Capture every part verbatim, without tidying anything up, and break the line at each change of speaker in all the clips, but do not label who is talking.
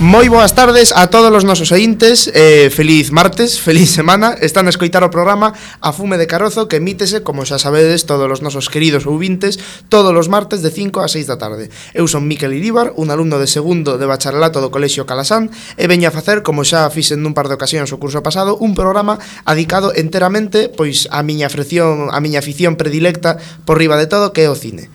Moi boas tardes a todos os nosos ointes, eh, feliz martes, feliz semana. Están a escoitar o programa A Fume de Carozo, que emítese, como xa sabedes, todos os nosos queridos ouvintes, todos os martes de cinco a seis da tarde. Eu son Miquel Iríbar, un alumno de segundo de bacharelato do Colexio Calasán, e veño a facer, como xa fixen nun par de ocasións o curso pasado, un programa adicado enteramente pois a miña afición, a miña afición predilecta por riba de todo, que é o cine.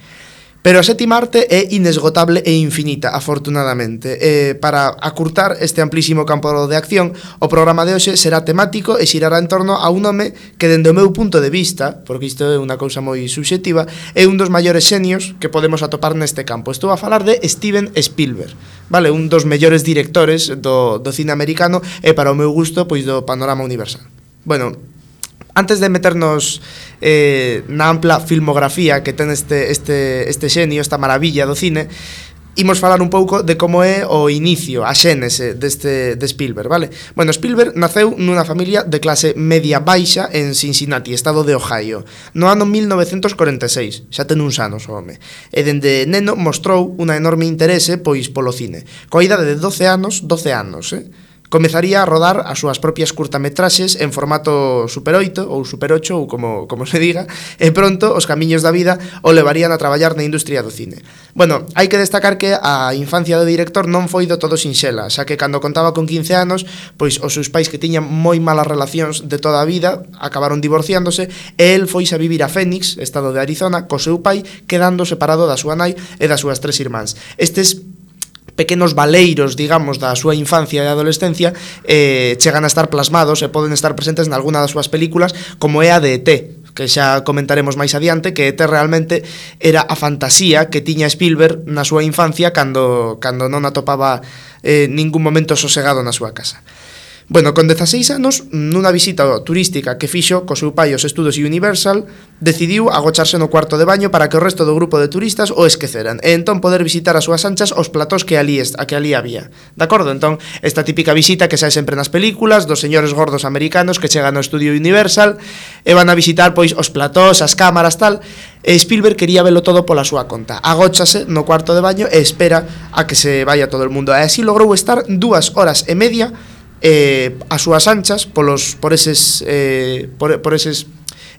Pero a sétima arte é inesgotable e infinita, afortunadamente. Eh, para acurtar este amplísimo campo de acción, o programa de hoxe será temático e xirará en torno a un home que, dende o meu punto de vista, porque isto é unha cousa moi subxectiva, é un dos maiores xenios que podemos atopar neste campo. Estou a falar de Steven Spielberg, vale? Un dos mellores directores do, do cine americano e, para o meu gusto, pois do panorama universal. Bueno, antes de meternos eh, na ampla filmografía que ten este, este, este xenio, esta maravilla do cine, imos falar un pouco de como é o inicio, a xénese deste, de Spielberg, vale? Bueno, Spielberg naceu nunha familia de clase media baixa en Cincinnati, estado de Ohio, no ano mil novecentos corenta e seis, xa ten uns anos o home, e dende neno mostrou unha enorme interese pois polo cine. Coa idade de doce anos, doce anos, eh? Comezaría a rodar as súas propias curtametraxes en formato Super oito ou Super ocho ou como, como se diga, e pronto os camiños da vida o levarían a traballar na industria do cine. Bueno, hai que destacar que a infancia do director non foi do todo sinxela, xa que cando contaba con quince anos, pois os seus pais, que tiñan moi malas relacións de toda a vida, acabaron divorciándose e el foise a vivir a Phoenix, estado de Arizona, co seu pai, quedando separado da súa nai e das súas tres irmáns. Estes pequenos valeiros, digamos, da súa infancia e adolescencia eh, chegan a estar plasmados e poden estar presentes en alguna das súas películas, como é a de E T, que xa comentaremos máis adiante, que E T realmente era a fantasía que tiña Spielberg na súa infancia cando, cando non atopaba eh, ningún momento sosegado na súa casa. Bueno, con dezaseis anos, nunha visita turística que fixo co seu pai aos estudos Universal, decidiu agocharse no cuarto de baño para que o resto do grupo de turistas o esqueceran e entón poder visitar as súas anchas os platós que ali, a que ali había. De acordo? Entón, esta típica visita que sae sempre nas películas dos señores gordos americanos que chegan ao estudio Universal e van a visitar pois os platós, as cámaras, tal, e Spielberg quería velo todo pola súa conta. Agóchase no cuarto de baño e espera a que se vaya todo o mundo. E así logrou estar dúas horas e media eh, as súas anchas polos, por eses eh, por, por eses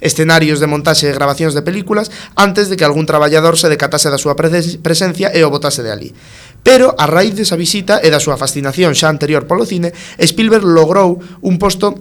escenarios de montaxe e grabacións de películas antes de que algún traballador se decatase da súa presencia e o botase de ali. Pero a raíz desa visita e da súa fascinación xa anterior polo cine, Spielberg logrou un posto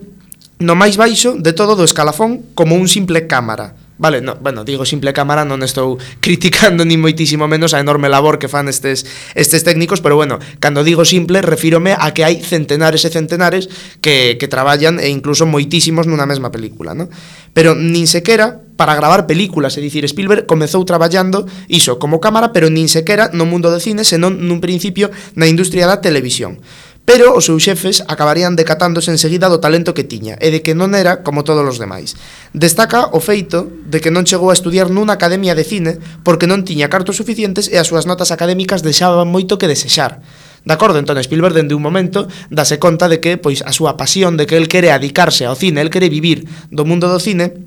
no máis baixo de todo do escalafón como un simple cámara. Vale, no, bueno, digo simple cámara, non estou criticando ni moitísimo menos a enorme labor que fan estes, estes técnicos, pero bueno, cando digo simple, refírome a que hai centenares e centenares que, que traballan e incluso moitísimos nunha mesma película, ¿no? Pero nin sequera para gravar películas, é dicir, Spielberg comezou traballando iso como cámara, pero nin sequera no mundo do cine, senón nun principio na industria da televisión. Pero os seus xefes acabarían decatándose enseguida do talento que tiña e de que non era como todos os demais. Destaca o feito de que non chegou a estudiar nunha academia de cine porque non tiña cartos suficientes e as súas notas académicas deixaban moito que desexar. De acordo? Entón Spielberg dende un momento dase conta de que pois a súa pasión, de que el quere adicarse ao cine, el quere vivir do mundo do cine,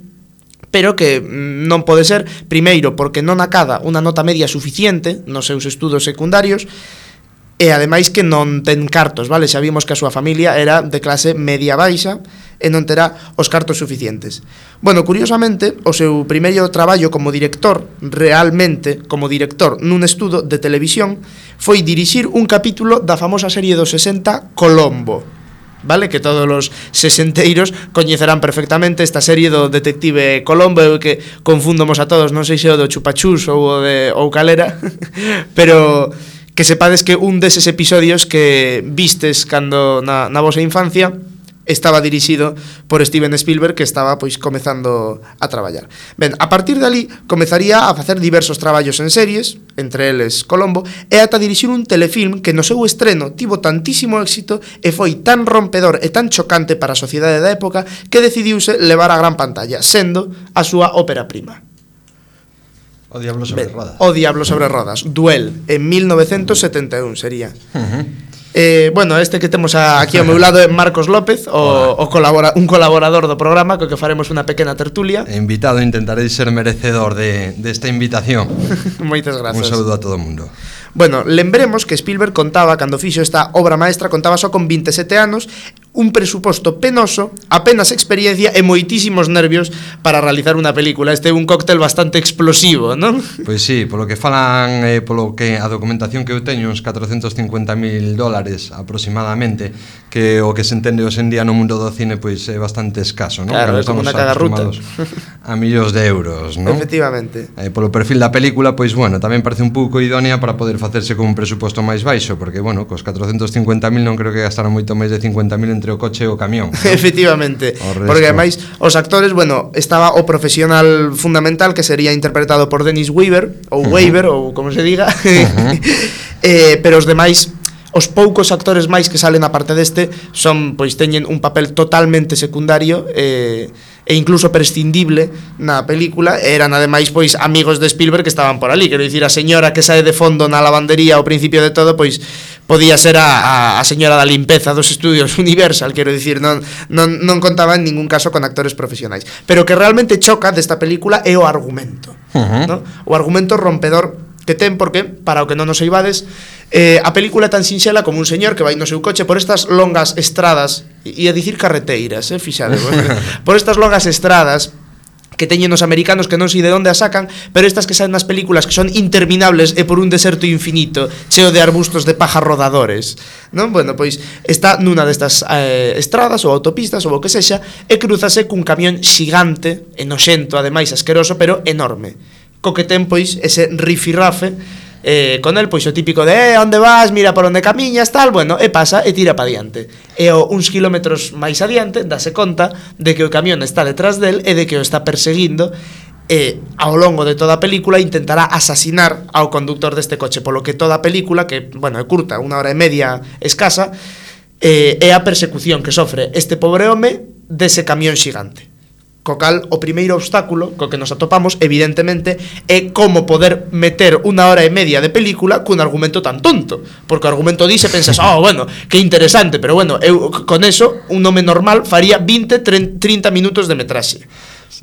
pero que non pode ser, primeiro, porque non acada unha nota media suficiente nos seus estudos secundarios, e ademais que non ten cartos, vale? Xa vimos que a súa familia era de clase media baixa e non terá os cartos suficientes. Bueno, curiosamente, o seu primeiro traballo como director, realmente como director nun estudo de televisión, foi dirixir un capítulo da famosa serie dos sesenta Colombo, vale? Que todos os sesenteiros coñecerán perfectamente esta serie do detective Colombo, que confúndomos a todos, non sei se o do Chupachus ou o de ou calera, pero que sepades que un deses episodios que vistes cando na, na vosa infancia estaba dirixido por Steven Spielberg, que estaba pois comezando a traballar. Ben, a partir de ali comezaría a facer diversos traballos en series, entre eles Colombo, e ata dirixir un telefilm que no seu estreno tivo tantísimo éxito e foi tan rompedor e tan chocante para a sociedade da época que decidiuse levar á gran pantalla, sendo a súa ópera prima.
O Diablo sobre ben, rodas.
O Diablo sobre rodas, Duel, en mil novecentos setenta e un sería. Uh-huh. eh, bueno, este que temos a, aquí ao meu lado é Marcos López, o, o colabora, un colaborador do programa, co que faremos unha pequena tertulia.
Invitado, intentarei ser merecedor de, de esta invitación.
Moitas grazas.
Un saúdo a todo o mundo.
Bueno, lembremos que Spielberg contaba, cando fixo esta obra maestra, contaba só con vinte e sete anos, un presuposto penoso, apenas experiencia e moitísimos nervios para realizar unha película. Este é un cóctel bastante explosivo, non?
Pois sí, polo que falan, eh, polo que a documentación que eu teño, uns catrocentos cincuenta mil dólares aproximadamente, que o que se entende hoxe en día no mundo do cine pois é bastante escaso, non?
Claro, é como unha cagarruta
a millóns de euros, non?
Efectivamente.
Eh, polo perfil da película, pois bueno, tamén parece un pouco idónea para poder facerse con un presuposto máis baixo, porque bueno, cos catrocentos cincuenta mil non creo que gastaron moito máis de cincuenta mil entre o coche e o camión, ¿no?
Efectivamente, porque ademais os actores, bueno, estaba o profesional fundamental que sería interpretado por Dennis Weaver ou uh -huh. Weaver, ou como se diga. uh -huh. eh, pero os demais, os poucos actores máis que salen a parte deste son, pois teñen un papel totalmente secundario eh, e incluso prescindible na película. Eran ademais pois amigos de Spielberg que estaban por ali, quero dicir, a señora que sae de fondo na lavandería ao principio de todo, pois podía ser a, a, a señora da limpeza dos estudios Universal, quero dicir, non, non, non contaba en ningún caso con actores profesionais. Pero que realmente choca desta película é o argumento, uh -huh. ¿no? O argumento rompedor que ten, porque, para o que non nos saibades, eh, a película é tan sinxela como un señor que vai no seu coche por estas longas estradas, e a dicir carreteiras, eh, fixade, por estas longas estradas que teñen os americanos que non sei de onde as sacan, pero estas que saen nas películas que son interminables e por un deserto infinito, cheo de arbustos de paja rodadores, non? Bueno, pois está nunha destas eh, estradas ou autopistas ou o que sexa, e cruzase cun camión xigante, e noxento, ademais asqueroso, pero enorme, co que ten pois ese rifirrafe eh, con el, pois o típico de eh, onde vas, mira por onde camiñas, tal, bueno, e pasa e tira pa diante. E o uns kilómetros máis adiante dase conta de que o camión está detrás del e de que o está perseguindo, e ao longo de toda a película intentará asasinar ao conductor deste coche, polo que toda a película, que, bueno, é curta, unha hora e media escasa, eh, é a persecución que sofre este pobre home dese camión xigante. Co cal, o primeiro obstáculo co que nos atopamos, evidentemente, é como poder meter unha hora e media de película cun argumento tan tonto. Porque o argumento dice, pensas, oh, bueno, que interesante, pero bueno, eu con eso, un home normal faría vinte, trinta minutos de metraxe.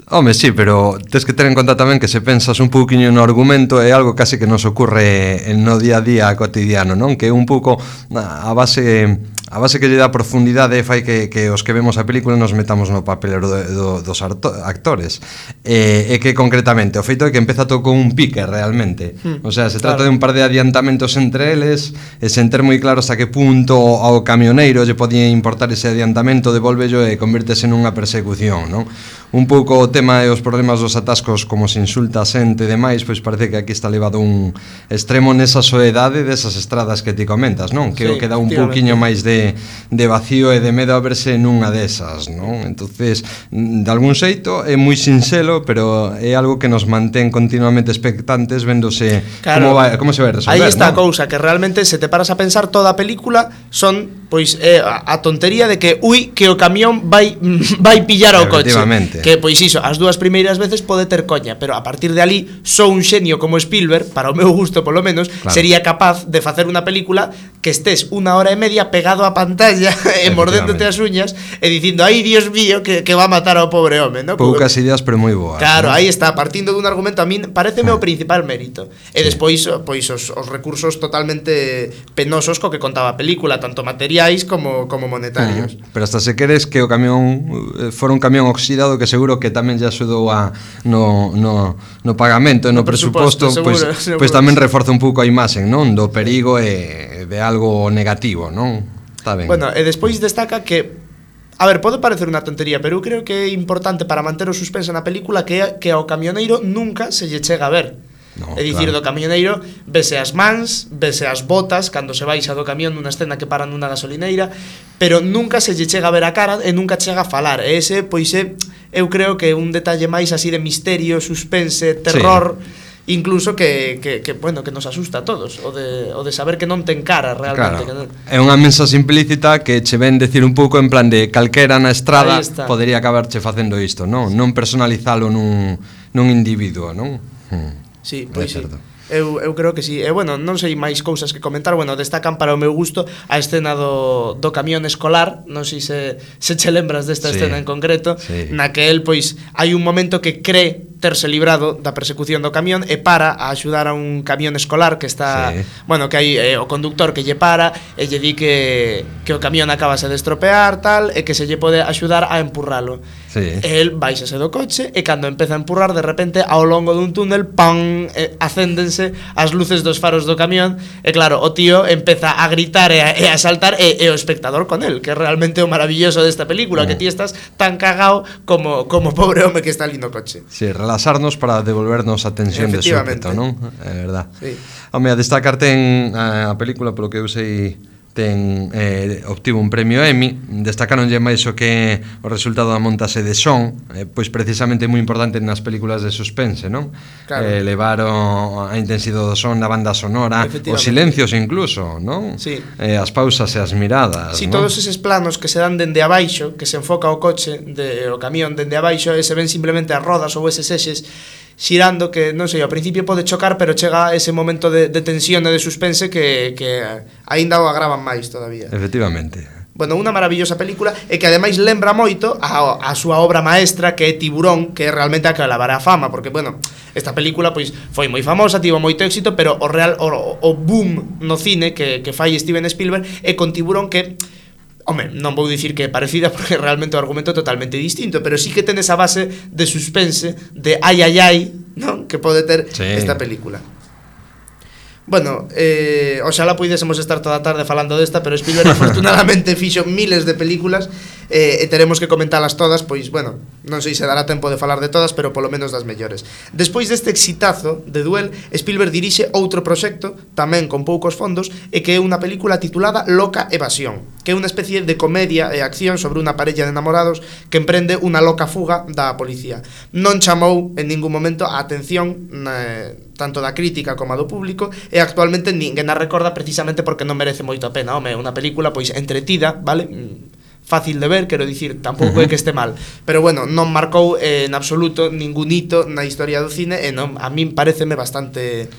Home, sí, pero tens que ter en conta tamén que se pensas un pouquiño no argumento é algo casi que nos ocurre no día a día cotidiano, non? Que é un pouco a base a base que lle dá profundidade fai que, que os que vemos a película nos metamos no papel do, do, dos actores, e, e que concretamente o feito é que empeza todo con un pique realmente, hmm, o sea, se trata claro. de un par de adiantamentos entre eles e sen ter moi claro hasta que punto ao camioneiro lle podía importar ese adiantamento, devolvello e convértese nunha persecución, non? Un pouco o tema e os problemas dos atascos, como se insulta a xente e demais, pois parece que aquí está levado un extremo nesa soedade desas estradas que ti comentas, non? Que sí, o que dá un pouquiño máis de, de vacío e de medo a verse nunha desas, non? Entonces, de algún xeito é moi sinxelo, pero é algo que nos mantén continuamente expectantes vendose claro, como, vai, como se vai resolver.
Aí está,
¿no?
A cousa, que realmente se te paras a pensar, toda a película son pois eh, a, a tontería de que ui, que o camión vai vai pillar ao coche. Que, pois iso, as dúas primeiras veces pode ter coña, pero a partir de ali só un xenio como Spielberg, para o meu gusto polo menos, claro, sería capaz de facer unha película que estés unha hora e media pegado á pantalla e mordéndote as uñas e dicindo, ai, Dios mío, que, que va a matar ao pobre home, ¿no?
Poucas ideas, pero moi boas.
Claro,
¿no?
aí está, partindo dun argumento, a min pareceme o principal mérito. E sí. despois, pois, os, os recursos totalmente penosos co que contaba a película, tanto materiais como, como monetarios.
Uh -huh. Pero hasta se queres que o camión fora un camión oxidado, que seguro que tamén lle axudou a no, no, no pagamento e no, no presuposto, pois pues, pues tamén reforza un pouco a imaxe, non? Do perigo e de algo negativo, non? Está ben.
Bueno, e despois destaca que, a ver, pode parecer unha tontería, pero eu creo que é importante para manter o suspense na película que, que ao camioneiro nunca se lle chega a ver. No, é dicir, claro, do camioneiro vese as mans, vese as botas cando se baixa do camión nunha escena que para nunha gasolineira, pero nunca se lle chega a ver a cara e nunca chega a falar. E ese, pois, é, eu creo que é un detalle máis así de misterio, suspense, terror, sí, incluso que, que, que, bueno, que nos asusta a todos, o de, o de saber que non ten cara realmente.
Claro. Que non... É unha mensaxe implícita que che ven decir un pouco en plan de calquera na estrada podería acabarche facendo isto, non? Non personalizalo nun, nun individuo, non? Hmm.
Sí, pois sí. Eu, eu creo que sí. E bueno, non sei máis cousas que comentar. Bueno, destacan para o meu gusto a escena do, do camión escolar. Non sei se, se che lembras desta sí. escena en concreto, sí. Na que el, pois, hai un momento que cree terse librado da persecución do camión e para a axudar a un camión escolar que está, sí. bueno, que hai eh, o conductor que lle para e lle di que, que o camión acabase de estropear tal e que se lle pode axudar a empurralo. Sí. E el baixase do coche e cando empeza a empurrar de repente ao longo dun túnel ¡pam! Eh, acéndense as luces dos faros do camión e claro, o tío empeza a gritar e a, e a saltar e, e o espectador con el, que é realmente o maravilloso desta película, mm. que ti estás tan cagao como, como pobre home que está ali no coche.
Sí, relaxarnos para devolvernos a tensión de súpeto, non? É verdad. Sí. Home, a destacarte en a película, polo que eu sei, ten eh, obtivo un premio Emmy. Destacaronlle máis o que o resultado da montase de son, eh, pois precisamente moi importante nas películas de suspense, non? Claro. Eh, levaron a intensidade do son na banda sonora, os silencios incluso, non? Sí. Eh, as pausas e as miradas,
sí,
non?
Todos eses planos que se dan dende abaixo, que se enfoca o coche, de, o camión dende abaixo, e se ven simplemente as rodas ou eses eixes xirando, que non sei, ao principio pode chocar, pero chega ese momento de, de tensión e de suspense que, que aínda o agravan máis todavía.
Efectivamente.
Bueno, unha maravillosa película e que ademais lembra moito a, a súa obra maestra, que é Tiburón, que é realmente a que lavará a fama, porque, bueno, esta película pois foi moi famosa, tivo moito éxito, pero o real o, o boom no cine que, que fai Steven Spielberg é con Tiburón, que home, non vou dicir que é parecida porque realmente o argumento é totalmente distinto, pero sí que ten esa base de suspense, de ai ai ai, non? Que pode ter sí. esta película. Bueno, eh, oxalá puidésemos estar toda a tarde falando desta, pero Spielberg afortunadamente fixo miles de películas eh, e teremos que comentalas todas, pois, bueno, non sei se dará tempo de falar de todas, pero polo menos das mellores. Despois deste exitazo de Duel, Spielberg dirixe outro proxecto, tamén con poucos fondos, e que é unha película titulada Loca Evasión, que é unha especie de comedia e acción sobre unha parella de enamorados que emprende unha loca fuga da policía. Non chamou en ningún momento a atención eh, tanto da crítica como a do público, e actualmente ninguén a recorda precisamente porque non merece moito a pena. Home, unha película pois entretida, vale? Fácil de ver, quero dicir, tampouco uh-huh. é que este mal, pero bueno, non marcou eh, en absoluto ningún hito na historia do cine e non, a min pareceme bastante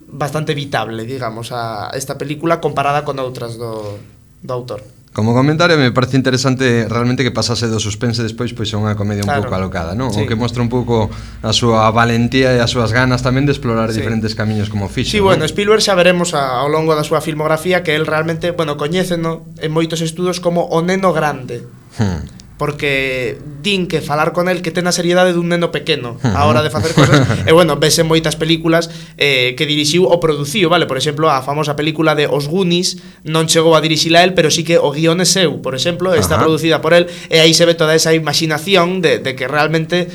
bastante evitable, digamos, a esta película comparada con outras do, do autor.
Como comentario, me parece interesante realmente que pasase do suspense despois pois a unha comedia claro. un pouco alocada, non? Sí. O que mostra un pouco a súa valentía e as súas ganas tamén de explorar sí. diferentes camiños como fixo.
Sí, ¿no? Bueno, Spielberg xa veremos a, ao longo da súa filmografía que el realmente, bueno, coñéceno en moitos estudos como o neno grande. Hmm. Porque din que falar con el que ten a seriedade dun neno pequeno a hora de facer cosas. E bueno, vese moitas películas eh, que dirixiu ou produciu, vale? Por exemplo, a famosa película de Os Goonies non chegou a dirixila el, pero sí que o guión é seu, por exemplo, está Ajá. producida por el, e aí se ve toda esa imaginación de, de que realmente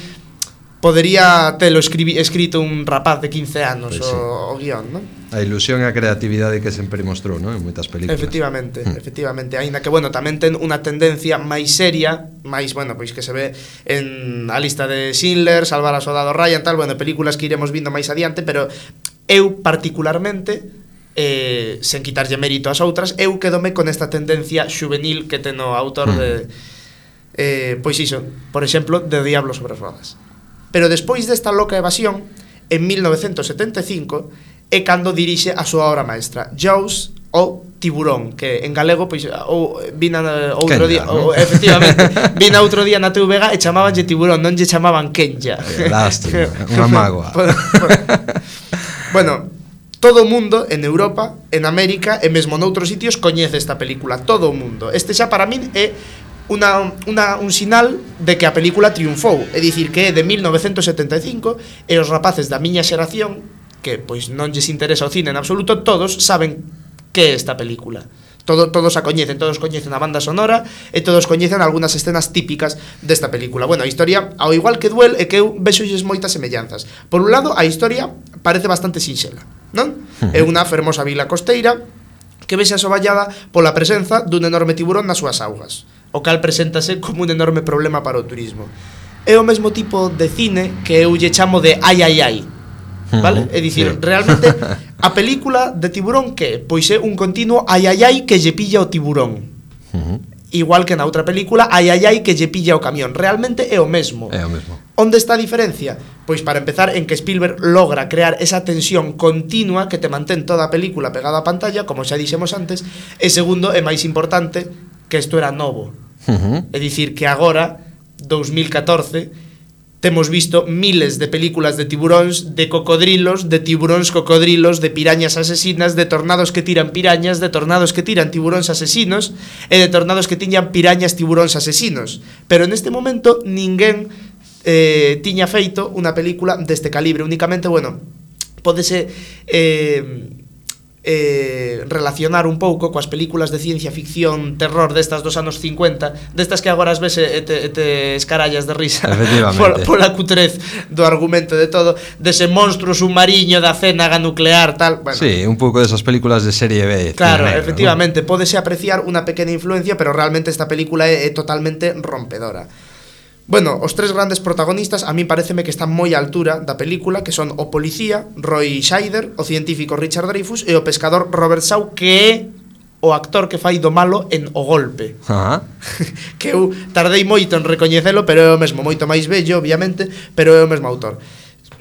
podería telo escribi, escrito un rapaz de quince anos pues sí. o, o guión, non?
A ilusión e a creatividade que sempre mostrou, non? En moitas películas.
Efectivamente, mm. efectivamente, aínda que, bueno, tamén ten unha tendencia máis seria, máis, bueno, pois que se ve en a lista de Schindler, Salvar a Soldado Ryan, tal, bueno, películas que iremos vindo máis adiante, pero eu particularmente, eh, sen quitarlle mérito ás outras, eu quedome con esta tendencia juvenil que ten o autor mm. de, eh, pois iso, por exemplo, de O Diablo sobre rodas. Pero despois desta loca evasión, en mil novecentos setenta e cinco, é cando dirixe a súa obra maestra, Jaws ou Tiburón, que en galego pois ou vina outro Kenya, día, ¿no? ou, efectivamente, vina outro día na T V G e chamabanlle Tiburón, non lle chamaban Kenya.
Lástima, unha mágoa.
Bueno, todo o mundo en Europa, en América e mesmo noutros sitios coñece esta película, todo o mundo. Este xa para min é Una, una, un sinal de que a película triunfou, é dicir que é de mil novecentos setenta e cinco e os rapaces da miña xeración, que pois non lles interesa o cine en absoluto, todos saben que é esta película. Todo, todos a coñecen, todos coñecen a banda sonora e todos coñecen algunhas escenas típicas desta película. Bueno, a historia, ao igual que Duel, é que eu vexolles moitas semellanzas. Por un lado, a historia parece bastante sinxela, non? Uh-huh. É unha fermosa vila costeira que vexe asoballada pola presenza dun enorme tiburón nas súas augas, o cal preséntase como un enorme problema para o turismo. É o mesmo tipo de cine que eu lle chamo de ai ai ai, vale? É dicir, sí. realmente a película de Tiburón que pois é un continuo ai ai ai que lle pilla o tiburón. Uh-huh. Igual que na outra película ai ai ai que lle pilla o camión. Realmente é o mesmo.
É o mesmo.
Onde está a diferencia? Pois para empezar en que Spielberg logra crear esa tensión continua que te mantén toda a película pegada á pantalla, como xa dixemos antes, e segundo, é máis importante, que isto era novo. Uh-huh. É dicir, que agora, dous mil catorce, temos visto miles de películas de tiburóns, de cocodrilos, de tiburóns cocodrilos, de pirañas asesinas, de tornados que tiran pirañas, de tornados que tiran tiburóns asesinos e de tornados que tiñan pirañas tiburóns asesinos. Pero neste momento ninguén eh, tiña feito unha película deste calibre. Únicamente, bueno, pódese eh, eh, relacionar un pouco coas películas de ciencia ficción, terror destas dos anos cincuenta, destas que agora as ves e te, te escarallas de risa por, pola cutrez do argumento de todo, dese monstruo submarino da cénaga nuclear, tal, bueno.
Sí, un pouco desas películas de serie B.
Claro, negro, efectivamente, ¿no? Pódese apreciar unha pequena influencia, pero realmente esta película é, é totalmente rompedora. Bueno, os tres grandes protagonistas a mí pareceme que están moi á altura da película, que son o policía Roy Scheider, o científico Richard Dreyfuss e o pescador Robert Shaw, que é o actor que fai do malo en O Golpe.
Ajá.
Que eu tardei moito en recoñecelo, pero é o mesmo, moito máis bello, obviamente, pero é o mesmo autor.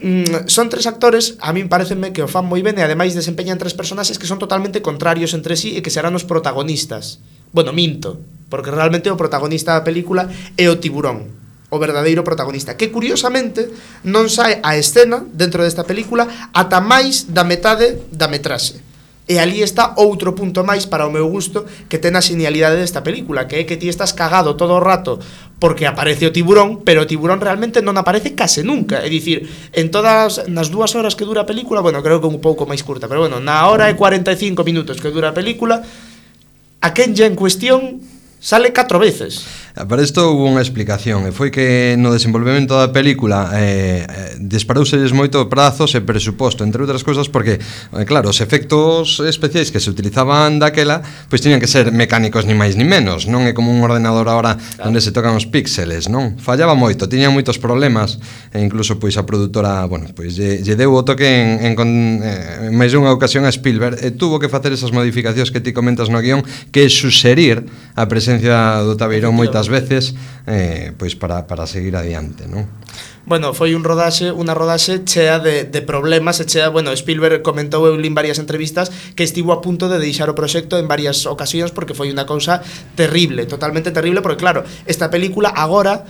Mm, son tres actores, a mí pareceme que o fan moi ben e ademais desempeñan tres personaxes que son totalmente contrarios entre sí e que serán os protagonistas. Bueno, minto, porque realmente o protagonista da película é o tiburón, o verdadeiro protagonista, que curiosamente non sae a escena dentro desta película ata máis da metade da metraxe. E ali está outro punto máis para o meu gusto que ten a xenialidade desta película, que é que ti estás cagado todo o rato porque aparece o tiburón, pero o tiburón realmente non aparece case nunca. É dicir, en todas nas dúas horas que dura a película, bueno, creo que un pouco máis curta, pero bueno, na hora e cuarenta e cinco minutos que dura a película, a Kenja en cuestión sale catro veces.
Para isto hubo unha explicación, e foi que no desenvolvemento da película eh, disparouselles moito prazos e presuposto, entre outras cousas porque, eh, claro, os efectos especiais que se utilizaban daquela pois tiñan que ser mecánicos ni máis ni menos, non é como un ordenador agora claro, onde se tocan os píxeles, non? Fallaba moito, tiñan moitos problemas e incluso pois a produtora, bueno, pois lle, lle deu o toque en, en, en, en máis unha ocasión a Spielberg e tuvo que facer esas modificacións que ti comentas no guión, que é suxerir a presencia do tabeirón moitas veces eh, pois para, para seguir adiante, non?
Bueno, foi un rodaxe, unha rodaxe chea de, de problemas e chea, bueno, Spielberg comentou eu en varias entrevistas que estivo a punto de deixar o proxecto en varias ocasións porque foi unha cousa terrible, totalmente terrible, porque claro, esta película agora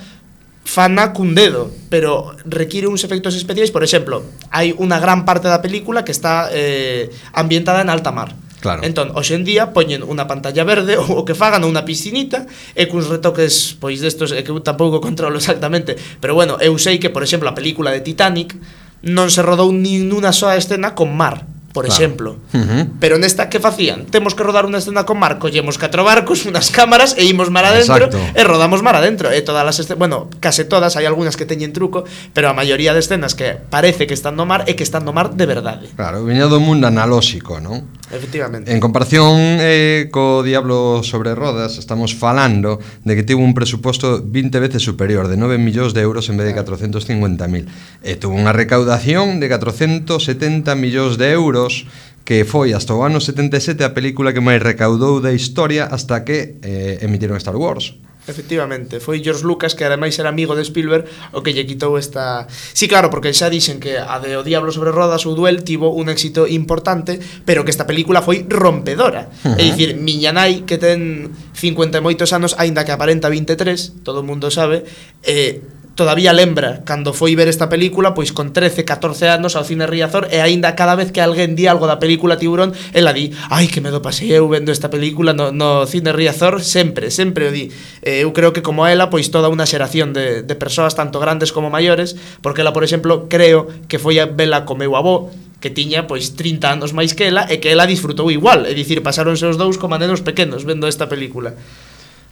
fana cun dedo, pero require uns efectos especiais. Por exemplo, hai unha gran parte da película que está eh, ambientada en alta mar.
Claro.
Entón, hoxe en día poñen unha pantalla verde ou o que fagan unha piscinita e cuns retoques pois destos que eu tampouco controlo exactamente, pero bueno, eu sei que, por exemplo, a película de Titanic non se rodou nin unha soa escena con mar, por claro, exemplo. Uh-huh. Pero nesta que facían? Temos que rodar unha escena con mar, collemos catro barcos, unas cámaras e imos mar adentro. Exacto. E rodamos mar adentro. E todas as escenas, bueno, case todas, hai algunhas que teñen truco, pero a maioría de escenas que parece que están no mar é que están no mar de verdade.
Claro, viña do mundo analóxico, non?
Efectivamente.
En comparación eh, co Diablo sobre rodas, estamos falando de que tivo un presuposto vinte veces superior, de nove millóns de euros en vez de catrocentos cincuenta mil. E tuvo unha recaudación de catrocentos setenta millóns de euros, que foi hasta o ano setenta e sete a película que máis recaudou da historia hasta que eh, emitiron Star Wars.
Efectivamente, foi George Lucas, que ademais era amigo de Spielberg, o que lle quitou esta... Sí, claro, porque xa dixen que a de O Diablo sobre rodas, o Duel, tivo un éxito importante, pero que esta película foi rompedora. Uh-huh. É dicir, miña nai, que ten cincuenta e moitos anos, aínda que aparenta vinte e tres, todo o mundo sabe, eh, todavía lembra cando foi ver esta película, pois con trece, catorce anos ao cine Riazor, e aínda cada vez que alguén di algo da película Tiburón, ela di, ai, que medo pasei eu vendo esta película no, no cine Riazor, sempre, sempre o di. Eh, eu creo que como ela, pois toda unha xeración de, de persoas, tanto grandes como maiores, porque ela, por exemplo, creo que foi a vela co meu avó, que tiña pois trinta anos máis que ela, e que ela disfrutou igual, é dicir, pasáronse os dous como nenos pequenos vendo esta película.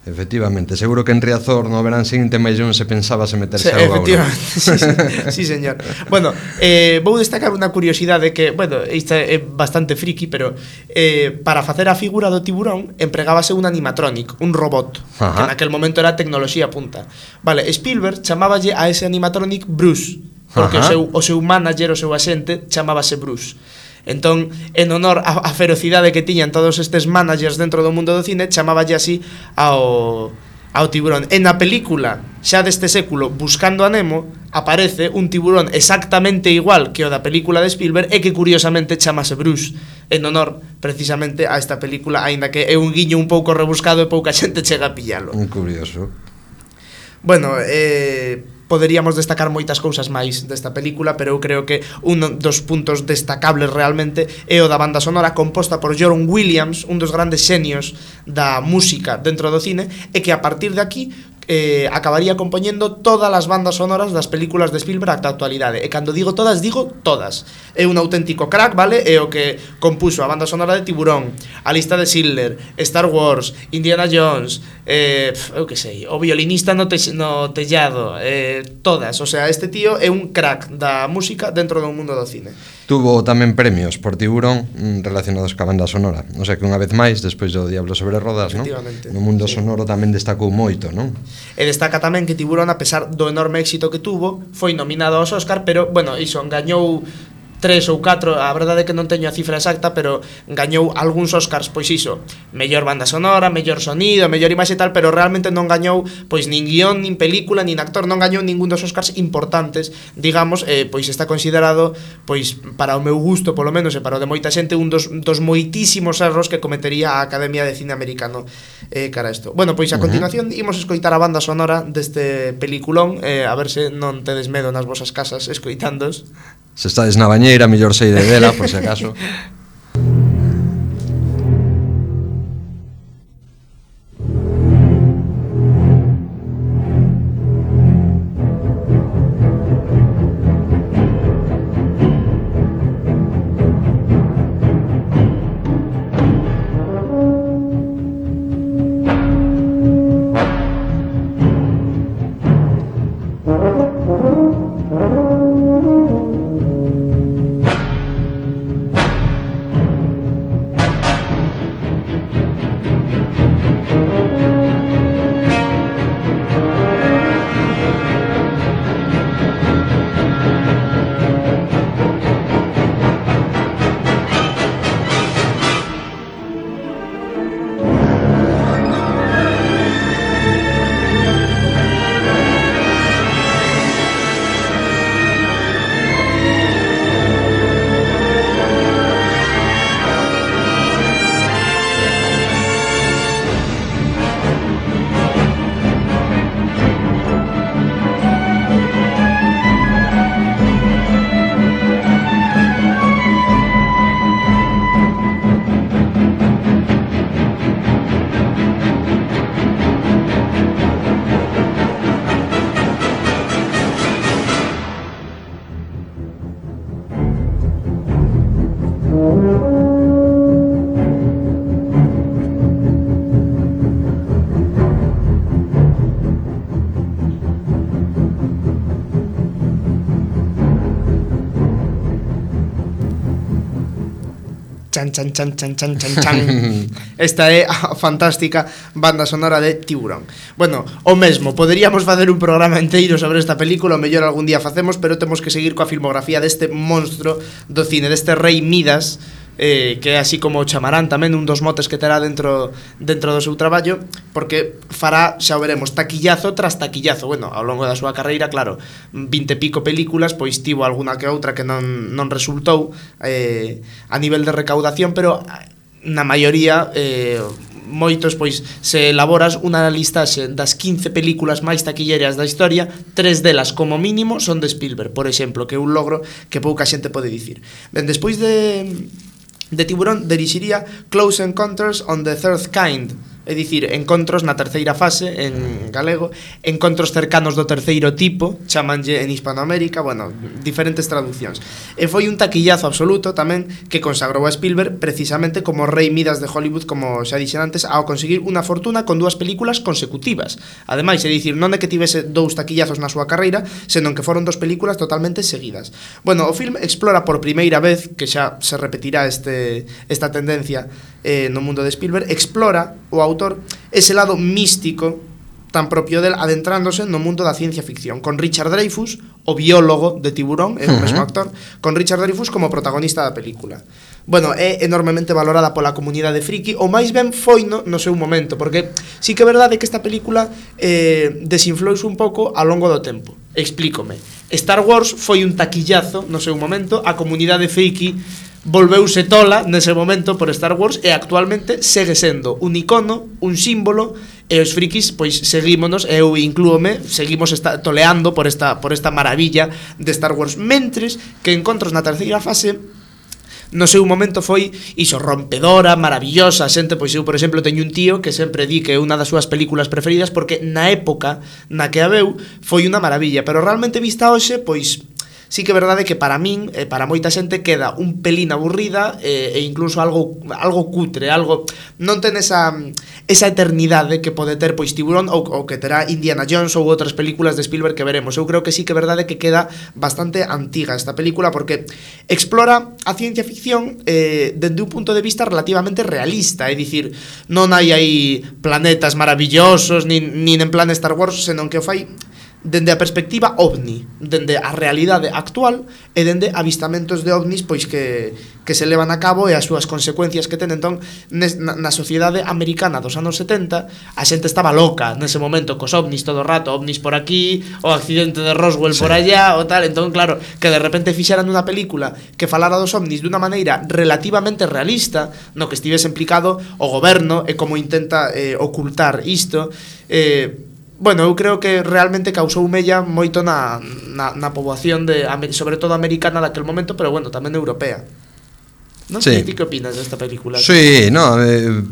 Efectivamente, seguro que en Riazor no verán seguinte máis non se pensaba se meterse
sí,
auga.
Efectivamente, sí, sí, sí, señor. Bueno, eh, vou destacar unha curiosidade que, bueno, esta é bastante friki, pero eh, para facer a figura do tiburón empregábase un animatronic, un robot. Ajá. Que naquel momento era tecnoloxía punta. Vale, Spielberg chamáballe a ese animatronic Bruce, porque o seu, o seu manager, o seu axente chamábase Bruce. Entón, en honor a, a ferocidade que tiñan todos estes managers dentro do mundo do cine, chamáballe así ao, ao tiburón. En a película xa deste século, Buscando a Nemo, aparece un tiburón exactamente igual que o da película de Spielberg e que curiosamente chamase Bruce, en honor precisamente a esta película, aínda que é un guiño un pouco rebuscado e pouca xente chega a pillalo.
Un curioso.
Bueno, eh... poderíamos destacar moitas cousas máis desta película, pero eu creo que un dos puntos destacables realmente é o da banda sonora composta por John Williams, un dos grandes xenios da música dentro do cine, e que a partir de aquí Eh, acabaría compoñendo todas as bandas sonoras das películas de Spielberg ata a actualidade. E cando digo todas, digo todas. É un auténtico crack, vale? É o que compuso a banda sonora de Tiburón, A lista de Schindler, Star Wars, Indiana Jones, eh, eu que sei, O violinista no, te, no tellado, eh, todas. O sea, este tío é un crack da música dentro do mundo do cine.
Tuvo tamén premios por Tiburón relacionados ca banda sonora. O sea que unha vez máis, despois do Diablo sobre rodas, non? No mundo sí. sonoro tamén destacou moito, non?
E destaca tamén que Tiburón, a pesar do enorme éxito que tuvo, foi nominado aos Óscar, pero, bueno, iso, gañou tres ou catro, a verdade é que non teño a cifra exacta, pero gañou algúns Óscars, pois iso, mellor banda sonora, mellor sonido, mellor imaxe e tal, pero realmente non gañou pois nin guión, nin película, nin actor, non gañou ningún dos Óscars importantes, digamos, eh, pois está considerado, pois para o meu gusto, polo menos, e para o de moita xente, un dos, dos moitísimos erros que cometería a Academia de Cine Americano eh, cara a isto. Bueno, pois a continuación imos escoitar a banda sonora deste peliculón, eh, a ver se non tedes medo nas vosas casas escoitándos.
Se estades na bañeira, mellor saíde dela, por se acaso.
Chan, chan, chan, chan, chan, chan, chan. Esta é a fantástica banda sonora de Tiburón. Bueno, o mesmo, poderíamos facer un programa inteiro sobre esta película, o mellor algún día facemos, pero temos que seguir coa filmografía deste monstro do cine, deste rei Midas, eh, que é así como o chamarán tamén, un dos motes que terá dentro dentro do seu traballo, porque fará, xa o veremos, taquillazo tras taquillazo. Bueno, ao longo da súa carreira, claro, vinte e pico películas, pois tivo alguna que outra que non, non resultou eh, a nivel de recaudación, pero na maioría eh, moitos, pois, se elaboras unha listaxe das quince películas máis taquilleras da historia, tres delas como mínimo son de Spielberg, por exemplo, que é un logro que pouca xente pode dicir. Ben, despois de de Tiburón dirixiría Close Encounters on the Third Kind, é dicir, encontros na terceira fase en galego, encontros cercanos do terceiro tipo, chamanlle en Hispanoamérica, bueno, diferentes traduccións. E foi un taquillazo absoluto tamén que consagrou a Spielberg precisamente como rei Midas de Hollywood, como xa dixen antes, ao conseguir unha fortuna con dúas películas consecutivas. Ademais, é dicir, non é que tivese dous taquillazos na súa carreira, senón que foron dos películas totalmente seguidas. Bueno, o film explora por primeira vez, que xa se repetirá este, esta tendencia eh, no mundo de Spielberg, explora o autor ese lado místico tan propio del, adentrándose no mundo da ciencia ficción, con Richard Dreyfuss, o biólogo de Tiburón, é o mesmo actor, con Richard Dreyfuss como protagonista da película. Bueno, é enormemente valorada pola comunidade friki, ou máis ben foi no, no seu momento, porque sí que é verdade que esta película eh, desinflouse un pouco ao longo do tempo. Explícome. Star Wars foi un taquillazo no seu momento, a comunidade friki volveuse tola nese momento por Star Wars e actualmente segue sendo un icono, un símbolo e os frikis pois seguímonos, eu inclúome, seguimos esta, toleando por esta, por esta maravilla de Star Wars, mentres que Encontros na terceira fase no seu momento foi iso, rompedora, maravillosa. A xente, pois eu, por exemplo, teño un tío que sempre di que é unha das súas películas preferidas porque na época na que a veu foi unha maravilla, pero realmente vista hoxe, pois sí que é verdade que para min e para moita xente queda un pelín aburrida e, e incluso algo algo cutre, algo non ten esa esa eternidade que pode ter pois Tiburón ou, ou que terá Indiana Jones ou outras películas de Spielberg que veremos. Eu creo que sí que é verdade que queda bastante antiga esta película porque explora a ciencia ficción eh, dende un punto de vista relativamente realista, é dicir, non hai aí planetas maravillosos nin, nin en plan Star Wars, senón que o fai dende a perspectiva ovni, dende a realidade actual e dende avistamentos de ovnis pois que, que se levan a cabo e as súas consecuencias que ten. Entón, nes, na, na sociedade americana dos anos setenta, a xente estaba loca nese momento cos ovnis todo o rato, ovnis por aquí, o accidente de Roswell sí. por allá, o tal. Entón, claro, que de repente fixeran unha película que falara dos ovnis dunha maneira relativamente realista, no que estivese implicado o goberno e como intenta eh, ocultar isto, eh, bueno, eu creo que realmente causou mella moito na, na, na poboación de, sobre todo americana daquel momento, pero bueno, tamén europea. Non sei, sí. Ti que opinas desta película?
Sí, no, eh,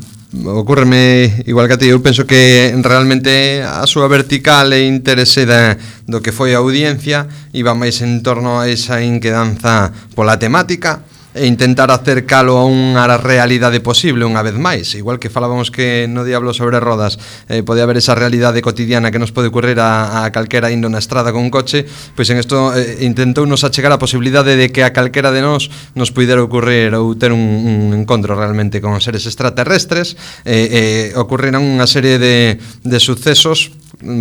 ocurreme igual que a ti. Eu penso que realmente a súa vertical e interese da, do que foi a audiencia iba máis en torno a esa inquedanza pola temática e intentar acercalo a unha realidade posible unha vez máis, igual que falábamos que no Diablo sobre rodas eh, pode haber esa realidade cotidiana que nos pode ocurrir a, a calquera indo na estrada con un coche, pois en isto eh, intentou nos achegar a posibilidade de que a calquera de nós nos puidera ocurrir ou ter un, un encontro realmente con seres extraterrestres e eh, eh, ocurriran unha serie de, de sucesos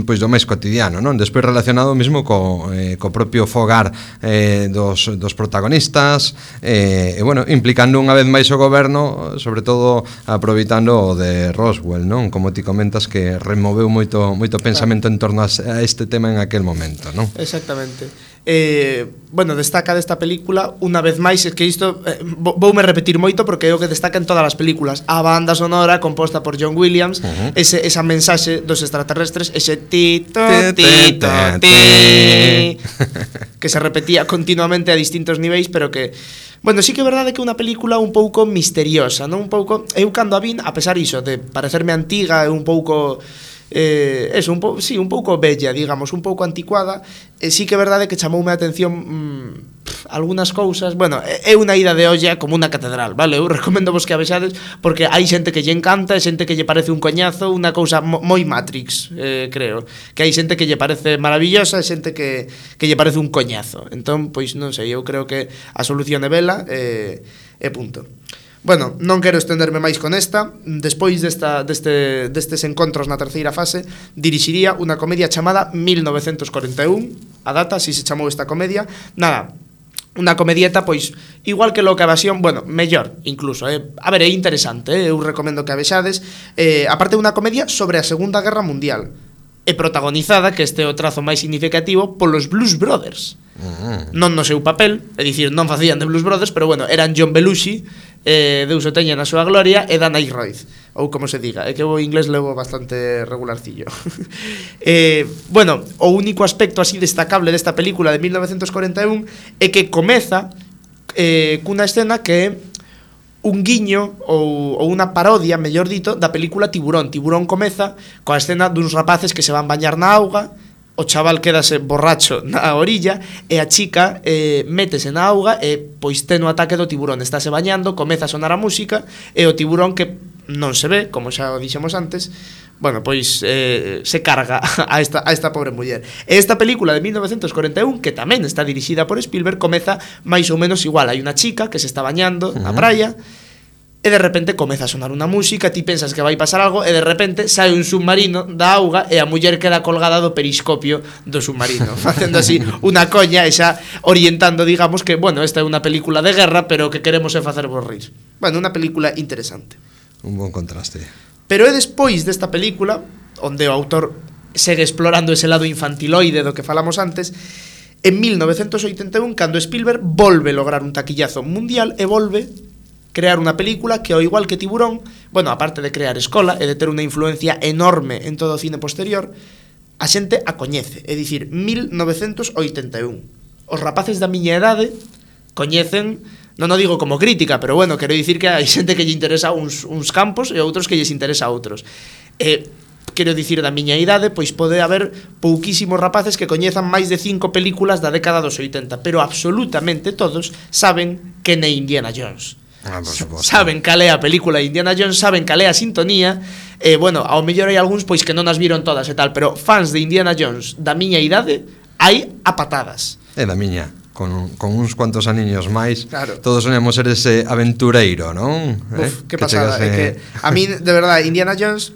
pois do máis cotidiano, non? Despois relacionado mesmo co, eh, co propio fogar eh, dos, dos protagonistas eh, e, bueno, implicando unha vez máis o goberno, sobre todo aproveitando o de Roswell, non? Como ti comentas que removeu moito moito pensamento en torno a este tema en aquel momento, non?
Exactamente. Eh, bueno, destaca desta película unha vez máis, é que isto eh, voume repetir moito porque é o que destaca en todas as películas, a banda sonora composta por John Williams, uh-huh. ese, esa mensaxe dos extraterrestres, ese tito, tito, ti que se repetía continuamente a distintos niveis, pero que bueno, sí que é verdade que é unha película un pouco misteriosa, non? Un pouco, eu cando a vin, a pesar iso de parecerme antiga e un pouco eh, eso, un pouco, sí, un pouco bella, digamos, un pouco anticuada, eh, sí que é verdade que chamoume a atención mmm, pff, algunhas cousas. Bueno, é unha ida de olla como unha catedral, vale? Eu recomendo vos que a vexades porque hai xente que lle encanta e xente que lle parece un coñazo, unha cousa moi Matrix, eh, creo, que hai xente que lle parece maravillosa e xente que, que lle parece un coñazo. Entón, pois non sei, eu creo que a solución é vela e, e punto. Bueno, non quero estenderme máis con esta. Despois desta, deste, destes encontros na terceira fase, dirixiría unha comedia chamada mil novecentos cuarenta e un. A data, así se chamou esta comedia. Nada, unha comedieta, pois, igual que Loca Evasión, bueno, mellor, incluso, eh? A ver, é interesante, eh? Eu recomendo que a vexades. eh, Aparte de unha comedia sobre a Segunda Guerra Mundial, e protagonizada, que este é o trazo máis significativo, polos Blues Brothers. Uh-huh. Non no seu papel, é dicir, non facían de Blues Brothers, pero bueno, eran John Belushi, eh, Deus o teña na súa gloria, e Dan Aykroyd, ou como se diga, é que o inglés levo bastante regularcillo. eh, bueno, o único aspecto así destacable desta película de mil novecentos cuarenta e un é que comeza eh, cunha escena que é un guiño ou, ou unha parodia, mellor dito, da película Tiburón. Tiburón comeza coa escena duns rapaces que se van bañar na auga, o chaval quedase borracho na orilla e a chica eh, métese na auga e pois ten o ataque do tiburón, estáse bañando, comeza a sonar a música e o tiburón, que non se ve, como xa o dixemos antes, bueno, pois eh, se carga a esta, a esta pobre muller. E esta película de mil novecentos cuarenta e un, que tamén está dirixida por Spielberg, comeza máis ou menos igual. Hai unha chica que se está bañando uh-huh. na praia e de repente comeza a sonar unha música, ti pensas que vai pasar algo e de repente sai un submarino da auga e a muller queda colgada do periscopio do submarino, facendo así unha coña e xa orientando, digamos, que, bueno, esta é unha película de guerra, pero que queremos é facervos rir. Bueno, unha película interesante.
Un bon contraste.
Pero é despois desta película onde o autor segue explorando ese lado infantiloide do que falamos antes, en mil novecentos oitenta e un, cando Spielberg volve lograr un taquillazo mundial e volve crear unha película que, ao igual que Tiburón, bueno, aparte de crear escola e de ter unha influencia enorme en todo o cine posterior, a xente a coñece, é dicir, mil novecentos oitenta e un. Os rapaces da miña idade coñecen, non o digo como crítica, pero bueno, quero dicir que hai xente que lle interesa uns, uns campos e outros que lles interesa outros. E quero dicir, da miña idade, pois pode haber pouquísimos rapaces que coñezan máis de cinco películas da década dos oitenta, pero absolutamente todos saben que é Indiana Jones.
Ah,
saben cal é a película de Indiana Jones, saben cal é a sintonía, e, eh, bueno, ao mellor hai algúns pois que non as viron todas e tal, pero fans de Indiana Jones da miña idade hai a patadas.
É da miña, con, con uns cuantos aniños máis,
claro.
Todos soñamos ser ese aventureiro, non?
Uf,
eh?
que pasada, chegase... é que a mí, de verdade, Indiana Jones,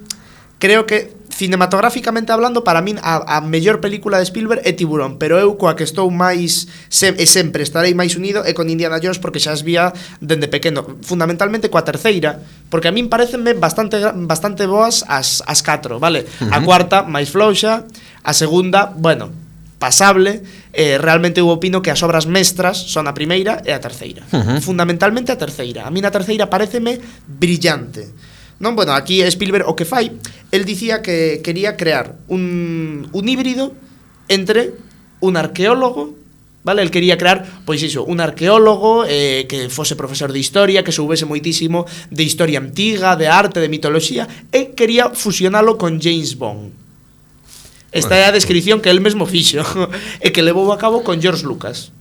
creo que cinematográficamente hablando, para min a, a mellor película de Spielberg é Tiburón, pero eu coa que estou máis se, e sempre estarei máis unido é con Indiana Jones, porque xa as vía dende pequeno, fundamentalmente coa terceira, porque a min parecenme bastante bastante boas as as catro, vale? Uh-huh. A cuarta máis flouxa, a segunda, bueno, pasable, eh, realmente eu opino que as obras mestras son a primeira e a terceira. Uh-huh. Fundamentalmente a terceira. A min a terceira pareceme brillante. Non, bueno, aquí Spielberg o que fai, el dicía que quería crear un, un híbrido entre un arqueólogo, vale? El quería crear, pois iso, un arqueólogo eh, que fose profesor de historia, que soubese moitísimo de historia antiga, de arte, de mitoloxía, e quería fusionalo con James Bond. Esta é a descripción que el mesmo fixo e que levou a cabo con George Lucas.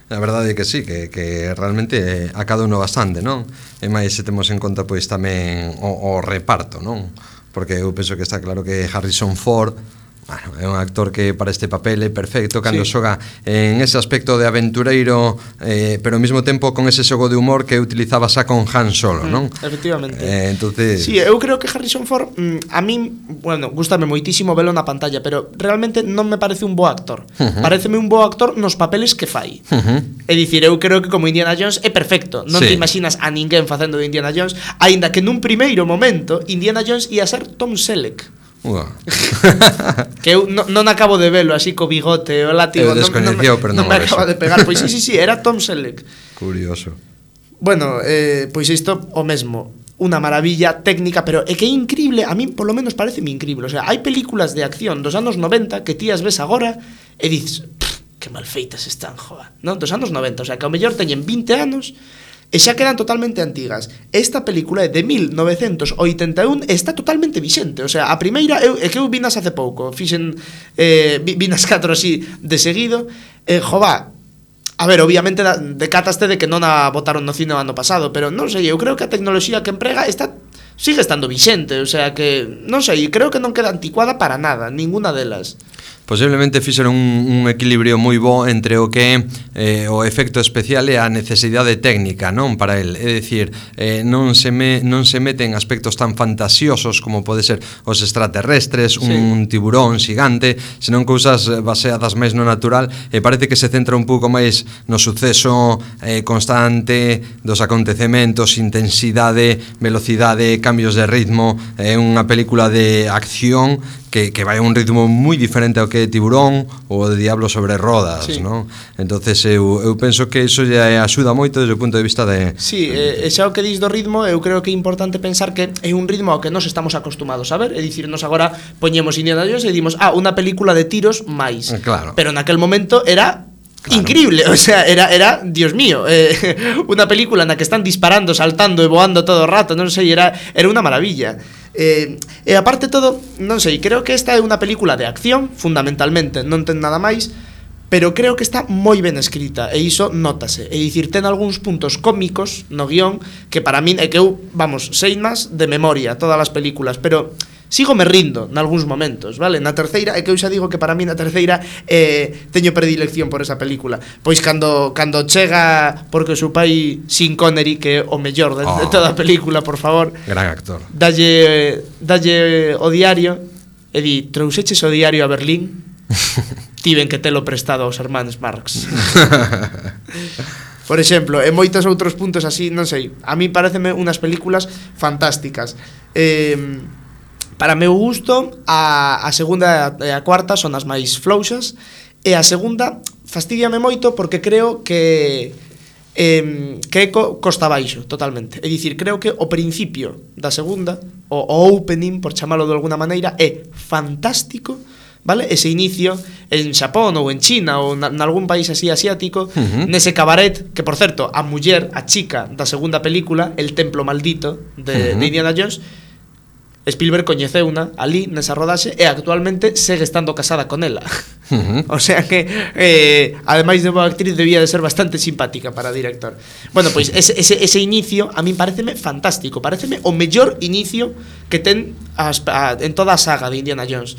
A verdade é que sí, que, que realmente a cada uno bastante, non? E máis se temos en conta pois tamén o, o reparto, non? Porque eu penso que está claro que Harrison Ford, bueno, é un actor que para este papel é perfecto cando sí. xoga en ese aspecto de aventureiro, eh, pero ao mesmo tempo con ese xogo de humor que utilizaba xa con Han Solo, non?
Mm, efectivamente.
Eh, entonces...
Sí, eu creo que Harrison Ford, mm, a min, bueno, gústame moitísimo velo na pantalla, pero realmente non me parece un bo actor. Uh-huh. Pareceme un bo actor nos papeles que fai. Uh-huh. É dicir, eu creo que como Indiana Jones é perfecto. Non sí. te imaginas a ninguén facendo de Indiana Jones, aínda que nun primeiro momento Indiana Jones ia ser Tom Selleck. Wow. Que eu non, non acabo de velo así co bigote o látigo,
non, non, me,
pero non, non me acaba de pegar. Pois sí, sí, sí, era Tom Selleck.
Curioso.
Bueno, eh, pois isto o mesmo, unha maravilla técnica, pero é que é increíble, a mí por lo menos pareceme increíble. O sea, hai películas de acción dos anos noventa que ti as ves agora e dices, que mal feitas están, joa, non? Dos anos noventa, o sea, que ao mellor teñen vinte anos e xa quedan totalmente antigas. Esta película é de mil novecentos oitenta e un e está totalmente vixente. O sea, a primeira eu, é que eu vinas hace pouco, fixen eh, vinas catro así de seguido. eh, Jova, a ver, obviamente decataste de que non a botaron no cine o ano pasado, pero non sei, eu creo que a tecnoloxía que emprega está sigue estando vixente. O sea que, non sei, creo que non queda anticuada para nada, ninguna delas.
Posiblemente fixeron un, un equilibrio moi bo entre o que eh, o efecto especial e a necesidade técnica, non, para el. É dicir, eh, non se me non se meten aspectos tan fantasiosos como pode ser os extraterrestres, sí. un tiburón xigante, senón cousas baseadas máis no natural, e parece que se centra un pouco máis no suceso eh, constante dos acontecementos, intensidade, velocidade, cambios de ritmo. É unha película de acción que, que vai a un ritmo moi diferente ao que é Tiburón ou de Diablo sobre rodas, sí. non? Entonces eu, eu penso que iso lle axuda moito desde o punto de vista de...
Sí, e xa o que dis do ritmo, eu creo que é importante pensar que é un ritmo ao que nos estamos acostumados a ver, é dicir, nos agora poñemos Indiana Jones e dimos, ah, unha película de tiros máis,
claro.
Pero naquel momento era...
Claro.
Increíble, o sea, era, era Dios mío, eh, unha película na que están disparando, saltando e voando todo o rato, non sei, era, era unha maravilla. Eh, e aparte todo, non sei, creo que esta é unha película de acción, fundamentalmente, non ten nada máis, pero creo que está moi ben escrita, e iso nótase. É dicir, ten algúns puntos cómicos no guión que para min é que eu, vamos, sei máis de memoria todas as películas, pero... sigo me rindo nalgúns momentos, vale? Na terceira, é que eu xa digo que para mí na terceira eh, teño predilección por esa película. Pois cando cando chega, porque o seu pai Sean Connery, que é o mellor de, oh, de toda a película, por favor,
gran actor,
dalle, dalle o diario e di, trouxeches o diario a Berlín? Tiven que telo prestado aos hermanos Marx. Por exemplo, e moitos outros puntos así, non sei, a mí pareceme unhas películas fantásticas. Eh... Para meu gusto, a, a segunda e a cuarta son as máis flouxas, e a segunda fastidiame moito porque creo que eh, que é co, costa baixo, totalmente. É dicir, creo que o principio da segunda, o, o opening, por chamalo de alguna maneira, é fantástico, vale? Ese inicio en Xapón ou en China ou en algún país así asiático, uh-huh. nese cabaret, que por certo, a muller, a chica da segunda película, El Templo Maldito de, uh-huh. de Indiana Jones, Spielberg coñeceuna ali nesa rodaxe e actualmente segue estando casada con ela. Uh-huh. O sea que eh, ademais de boa actriz debía de ser bastante simpática para director. Bueno, pois ese, ese, ese inicio a min pareceme fantástico, pareceme o mellor inicio que ten as, a, en toda a saga de Indiana Jones.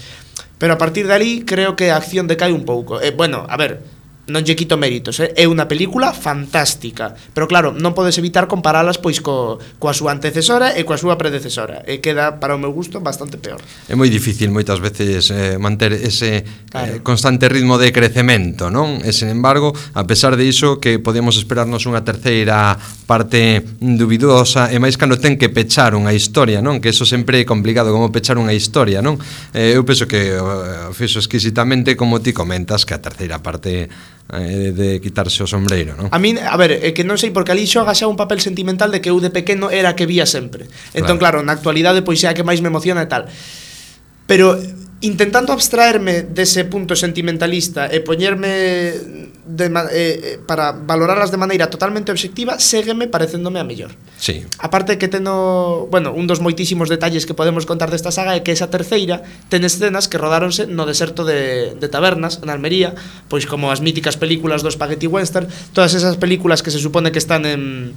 Pero a partir de ali creo que a acción decae un pouco. Eh, bueno, a ver, non lle quito méritos, eh? É unha película fantástica, pero claro, non podes evitar comparalas pois co, coa súa antecesora e coa súa predecesora, e queda, para o meu gusto, bastante peor.
É moi difícil moitas veces eh, manter ese claro. eh, constante ritmo de crecemento, non? E, sen embargo, a pesar de iso, que podíamos esperarnos unha terceira parte dubidosa, e máis cando ten que pechar unha historia, non? Que eso sempre é complicado, como pechar unha historia, non? Eh, eu penso que o uh, fixo exquisitamente, como ti comentas, que a terceira parte de, de quitarse o sombreiro, non?
A min, a ver, é que non sei, porque ali xoga xa un papel sentimental de que eu de pequeno era a que vía sempre. Entón, claro, claro na actualidade pois é a que máis me emociona e tal. Pero intentando abstraerme dese punto sentimentalista e poñerme de, eh, para valorarlas de maneira totalmente obxectiva, ségueme parecéndome a mellor.
Sí.
Aparte que teno, bueno, un dos moitísimos detalles que podemos contar desta saga é que esa terceira ten escenas que rodáronse no deserto de, de Tabernas, en Almería, pois como as míticas películas do Spaghetti Western, todas esas películas que se supone que están en,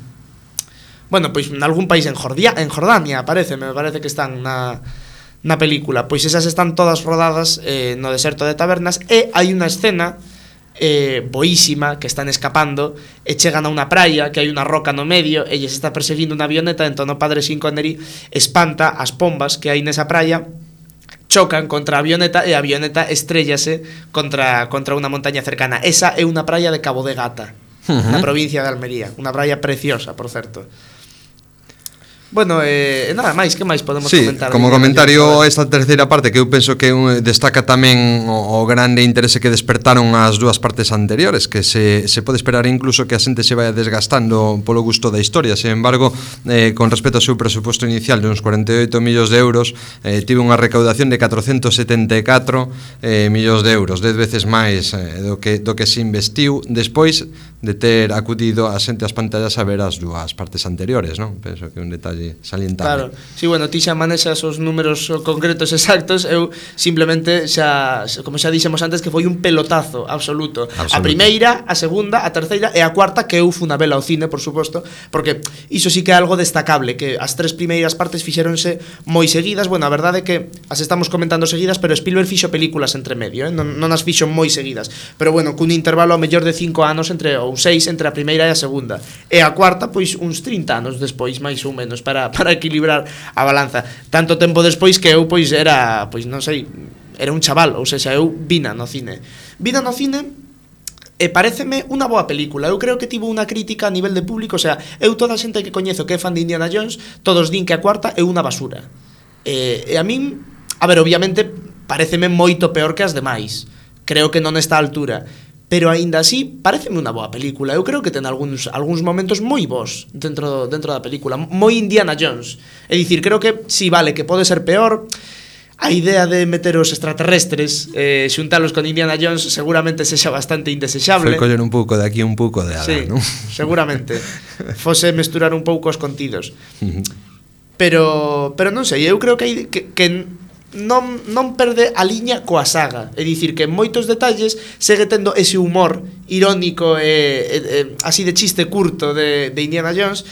bueno, pois en algún país en Jordania, en Jordania, parece, me parece que están na na película, pois esas están todas rodadas eh, no deserto de Tabernas, e hai unha escena eh, boísima que están escapando e chegan a unha praia que hai unha roca no medio e lles está perseguindo unha avioneta, entón o padre Sean Connery espanta as pombas que hai nesa praia, chocan contra a avioneta e a avioneta estrellase contra, contra unha montaña cercana. Esa é unha praia de Cabo de Gata, uh-huh. na provincia de Almería, unha praia preciosa, por certo. Bueno, eh, nada máis, que máis podemos
sí,
comentar?
Como comentario, esta terceira parte que eu penso que destaca tamén o, o grande interese que despertaron as dúas partes anteriores, que se, se pode esperar incluso que a xente se vaya desgastando polo gusto da historia. Sin embargo, eh, con respecto ao seu presuposto inicial de uns cuarenta e oito millóns de euros, eh, tive unha recaudación de catrocentos setenta e catro eh, millóns de euros, dez veces máis eh, do, que, do que se investiu despois de ter acudido a xente ás pantallas a ver as dúas partes anteriores, non? Penso que é un detalle salientable.
Claro, sí, bueno, ti xa manexas os números concretos exactos, eu simplemente xa, como xa dixemos antes, que foi un pelotazo absoluto. absoluto. A primeira, a segunda, a terceira e a cuarta, que eu fun a vela ao cine, por suposto, porque iso sí que é algo destacable, que as tres primeiras partes fixéronse moi seguidas. Bueno, a verdade é que as estamos comentando seguidas, pero Spielberg fixo películas entre medio, eh? non, non as fixo moi seguidas, pero bueno, cun intervalo a mellor de cinco anos entre, ou seis entre a primeira e a segunda, e a cuarta, pois uns trinta anos despois, máis ou menos, para, para equilibrar a balanza. Tanto tempo despois que eu, pois, era, pois, non sei, era un chaval, ou seja, eu vina no cine. Vina no cine e pareceme unha boa película. Eu creo que tivo unha crítica a nivel de público, o sea, eu toda a xente que coñezo que é fan de Indiana Jones, todos din que a cuarta é unha basura. E, e a min, a ver, obviamente, pareceme moito peor que as demais. Creo que non está a altura. Pero aínda así, pareceme unha boa película. Eu creo que ten algúns, algúns momentos moi bons dentro, dentro da película, moi Indiana Jones. É dicir, creo que, si, vale, que pode ser peor. A idea de meter os extraterrestres, eh, xuntalos con Indiana Jones, seguramente sexa bastante indesexable.
Foi coller un pouco de aquí, un pouco de alá,
sí,
non?
Seguramente. Fose mesturar un pouco os contidos. Pero, pero non sei, eu creo que hai que, que non, non perde a liña coa saga. É dicir, que en moitos detalles segue tendo ese humor irónico e, e, e así de chiste curto de, de Indiana Jones,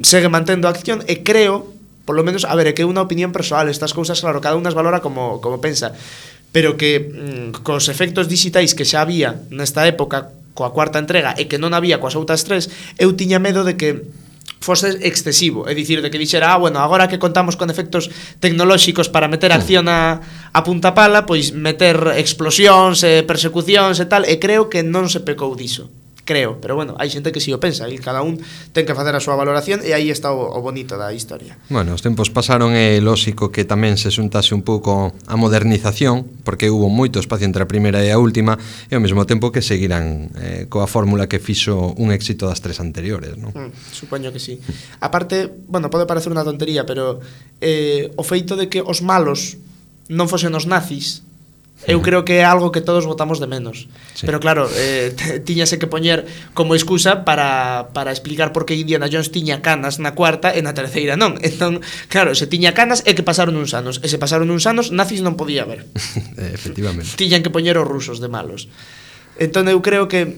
segue mantendo a acción e creo, polo menos, a ver, é que é unha opinión persoal, estas cousas, claro, cada unha as valora como, como pensa, pero que mm, cos efectos digitais que xa había nesta época coa cuarta entrega e que non había coas outras tres, eu tiña medo de que fose excesivo, é dicir, de que dixera, ah, bueno, agora que contamos con efectos tecnolóxicos para meter acción a, a punta pala, pois meter explosións e persecucións e tal, e creo que non se pecou diso. creo, pero bueno, hai xente que si o pensa, e cada un ten que facer a súa valoración, e aí está o, o bonito da historia.
Bueno, os tempos pasaron e lóxico que tamén se xuntase un pouco a modernización, porque hubo moito espacio entre a primeira e a última, e ao mesmo tempo que seguirán eh, coa fórmula que fixo un éxito das tres anteriores, non?
Mm, supoño que sí. Aparte, bueno, pode parecer unha tontería, pero eh, o feito de que os malos non fosen os nazis, eu creo que é algo que todos votamos de menos. Sí. Pero claro, eh, tiñase que poñer como excusa para, para explicar por que Indiana Jones tiña canas na cuarta e na terceira non. Entón, claro, se tiña canas é que pasaron uns anos. E se pasaron uns anos, nazis non podía haber.
Efectivamente.
Tiñan que poñer os rusos de malos. Entón eu creo que,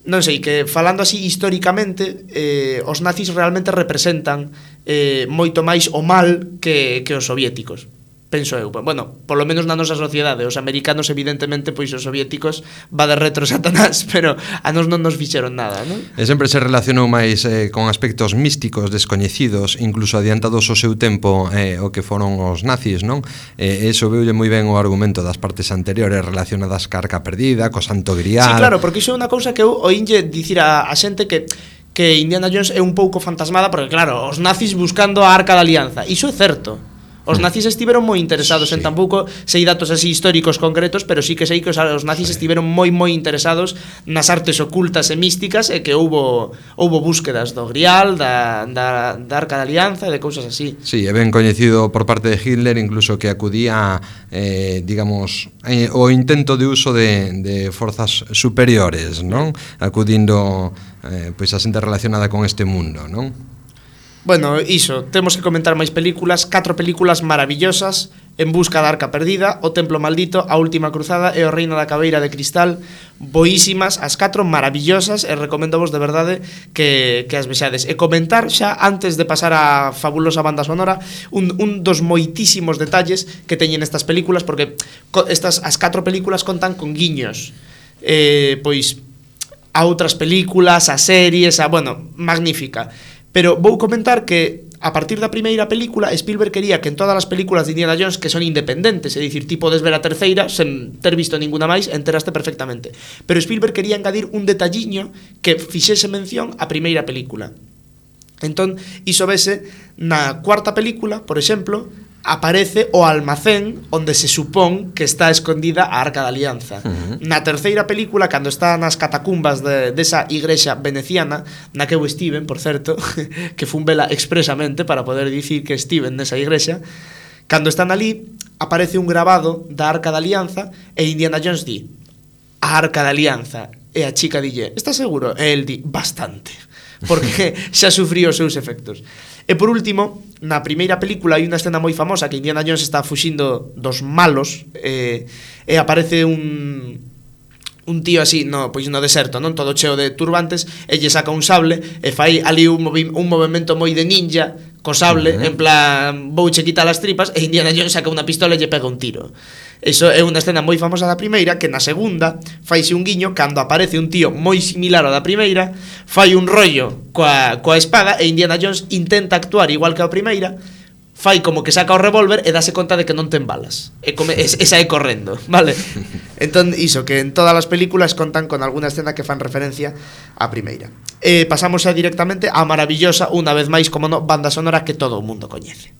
non sei, que falando así históricamente, eh, os nazis realmente representan eh, moito máis o mal que, que os soviéticos. Penso eu, bueno, polo menos na nosa sociedade. Os americanos, evidentemente, pois os soviéticos va de retro Satanás, pero a nos non nos fixeron nada, non?
E sempre se relacionou máis eh, con aspectos místicos, descoñecidos, incluso adiantados ao seu tempo eh, o que foron os nazis, non? E eh, iso veulle moi ben o argumento das partes anteriores relacionadas ca Arca Perdida, co Santo Grial.
Sí, claro, porque iso é unha cousa que eu oínlle dicir a, a xente que que Indiana Jones é un pouco fantasmada, porque claro, os nazis buscando a Arca da Alianza. Iso é certo. Os nazis estiveron moi interesados, sí. En tampouco sei datos así históricos concretos, pero sí que sei que os, os nazis sí. estiveron moi moi interesados nas artes ocultas e místicas, e que houbo houbo búsquedas do Grial, da, da, da Arca da Alianza e de cousas así.
Sí, é ben coñecido por parte de Hitler, incluso que acudía, eh, digamos, eh, o intento de uso de, de forzas superiores, non? Acudindo eh, pois a xente relacionada con este mundo, non?
Bueno, iso, temos que comentar máis películas, catro películas maravillosas: En busca da Arca Perdida, O Templo Maldito, A Última Cruzada e O Reino da Caveira de Cristal. Boísimas, as catro maravillosas, e recomendovos de verdade que, que as vexades. E comentar xa, antes de pasar á fabulosa banda sonora, un, un dos moitísimos detalles que teñen estas películas, porque estas, as catro películas contan con guiños eh, pois a outras películas, a series, a, bueno, magnífica. Pero vou comentar que a partir da primeira película Spielberg quería que en todas as películas de Indiana Jones, que son independentes, é dicir, ti podes ver a terceira sen ter visto ninguna máis, enteraste perfectamente, pero Spielberg quería engadir un detalliño que fixese mención á primeira película. Entón, iso vese na cuarta película, por exemplo, aparece o almacén onde se supón que está escondida a Arca da Alianza. Uh-huh. Na terceira película, cando está nas catacumbas de, desa igrexa veneciana, na que eu estiven, por certo, que fun vela expresamente para poder dicir que estiven nesa igrexa, cando están ali, aparece un grabado da Arca da Alianza e Indiana Jones di: a Arca da Alianza. E a chica dille: "Estás seguro?" E el di: "Bastante", porque xa sufriu os seus efectos. E por último, na primeira película hai unha escena moi famosa que Indiana Jones está fuxindo dos malos, e, e aparece un un tío así, no, pois no deserto, non, todo cheo de turbantes, e lle saca un sable e fai ali un, movi un movimento moi de ninja co sable, uh-huh. En plan, vouche quitar as tripas, e Indiana Jones saca unha pistola e lle pega un tiro. Iso é unha escena moi famosa da primeira, que na segunda faise un guiño cando aparece un tío moi similar ao da primeira, fai un rollo coa, coa espada, e Indiana Jones intenta actuar igual que a primeira, fai como que saca o revólver e dase conta de que non ten balas, e, come, e, e sae correndo, vale? Entón, iso, que en todas as películas contan con alguna escena que fan referencia á primeira. E pasamos xa directamente á maravillosa, unha vez máis, como no, banda sonora que todo o mundo coñece.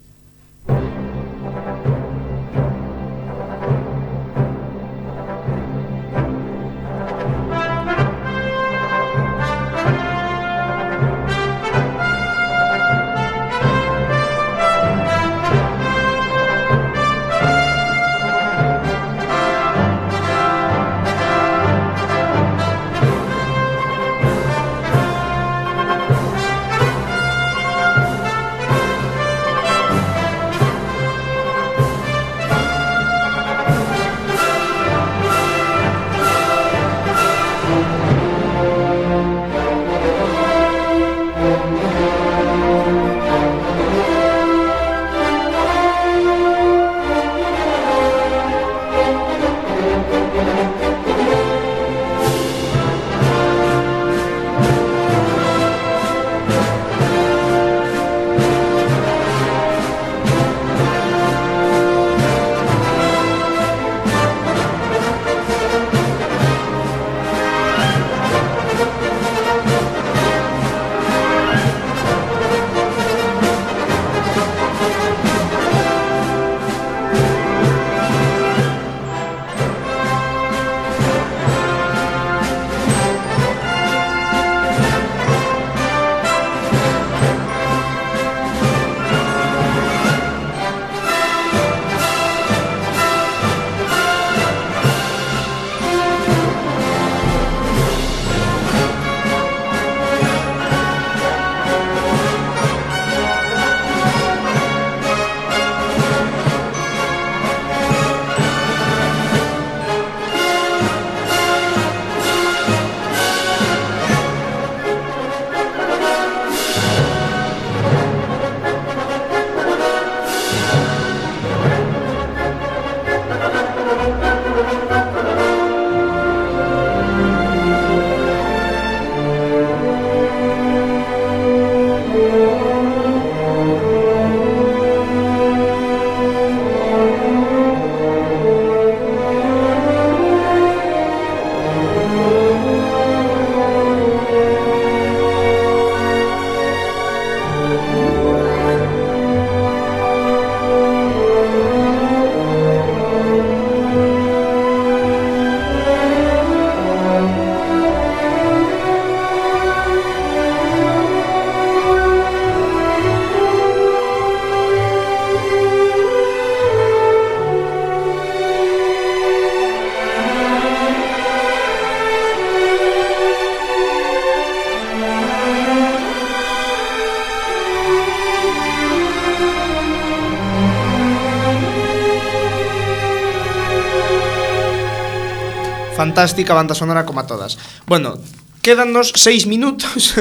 fantástica banda sonora como a todas. Bueno, quédanos seis minutos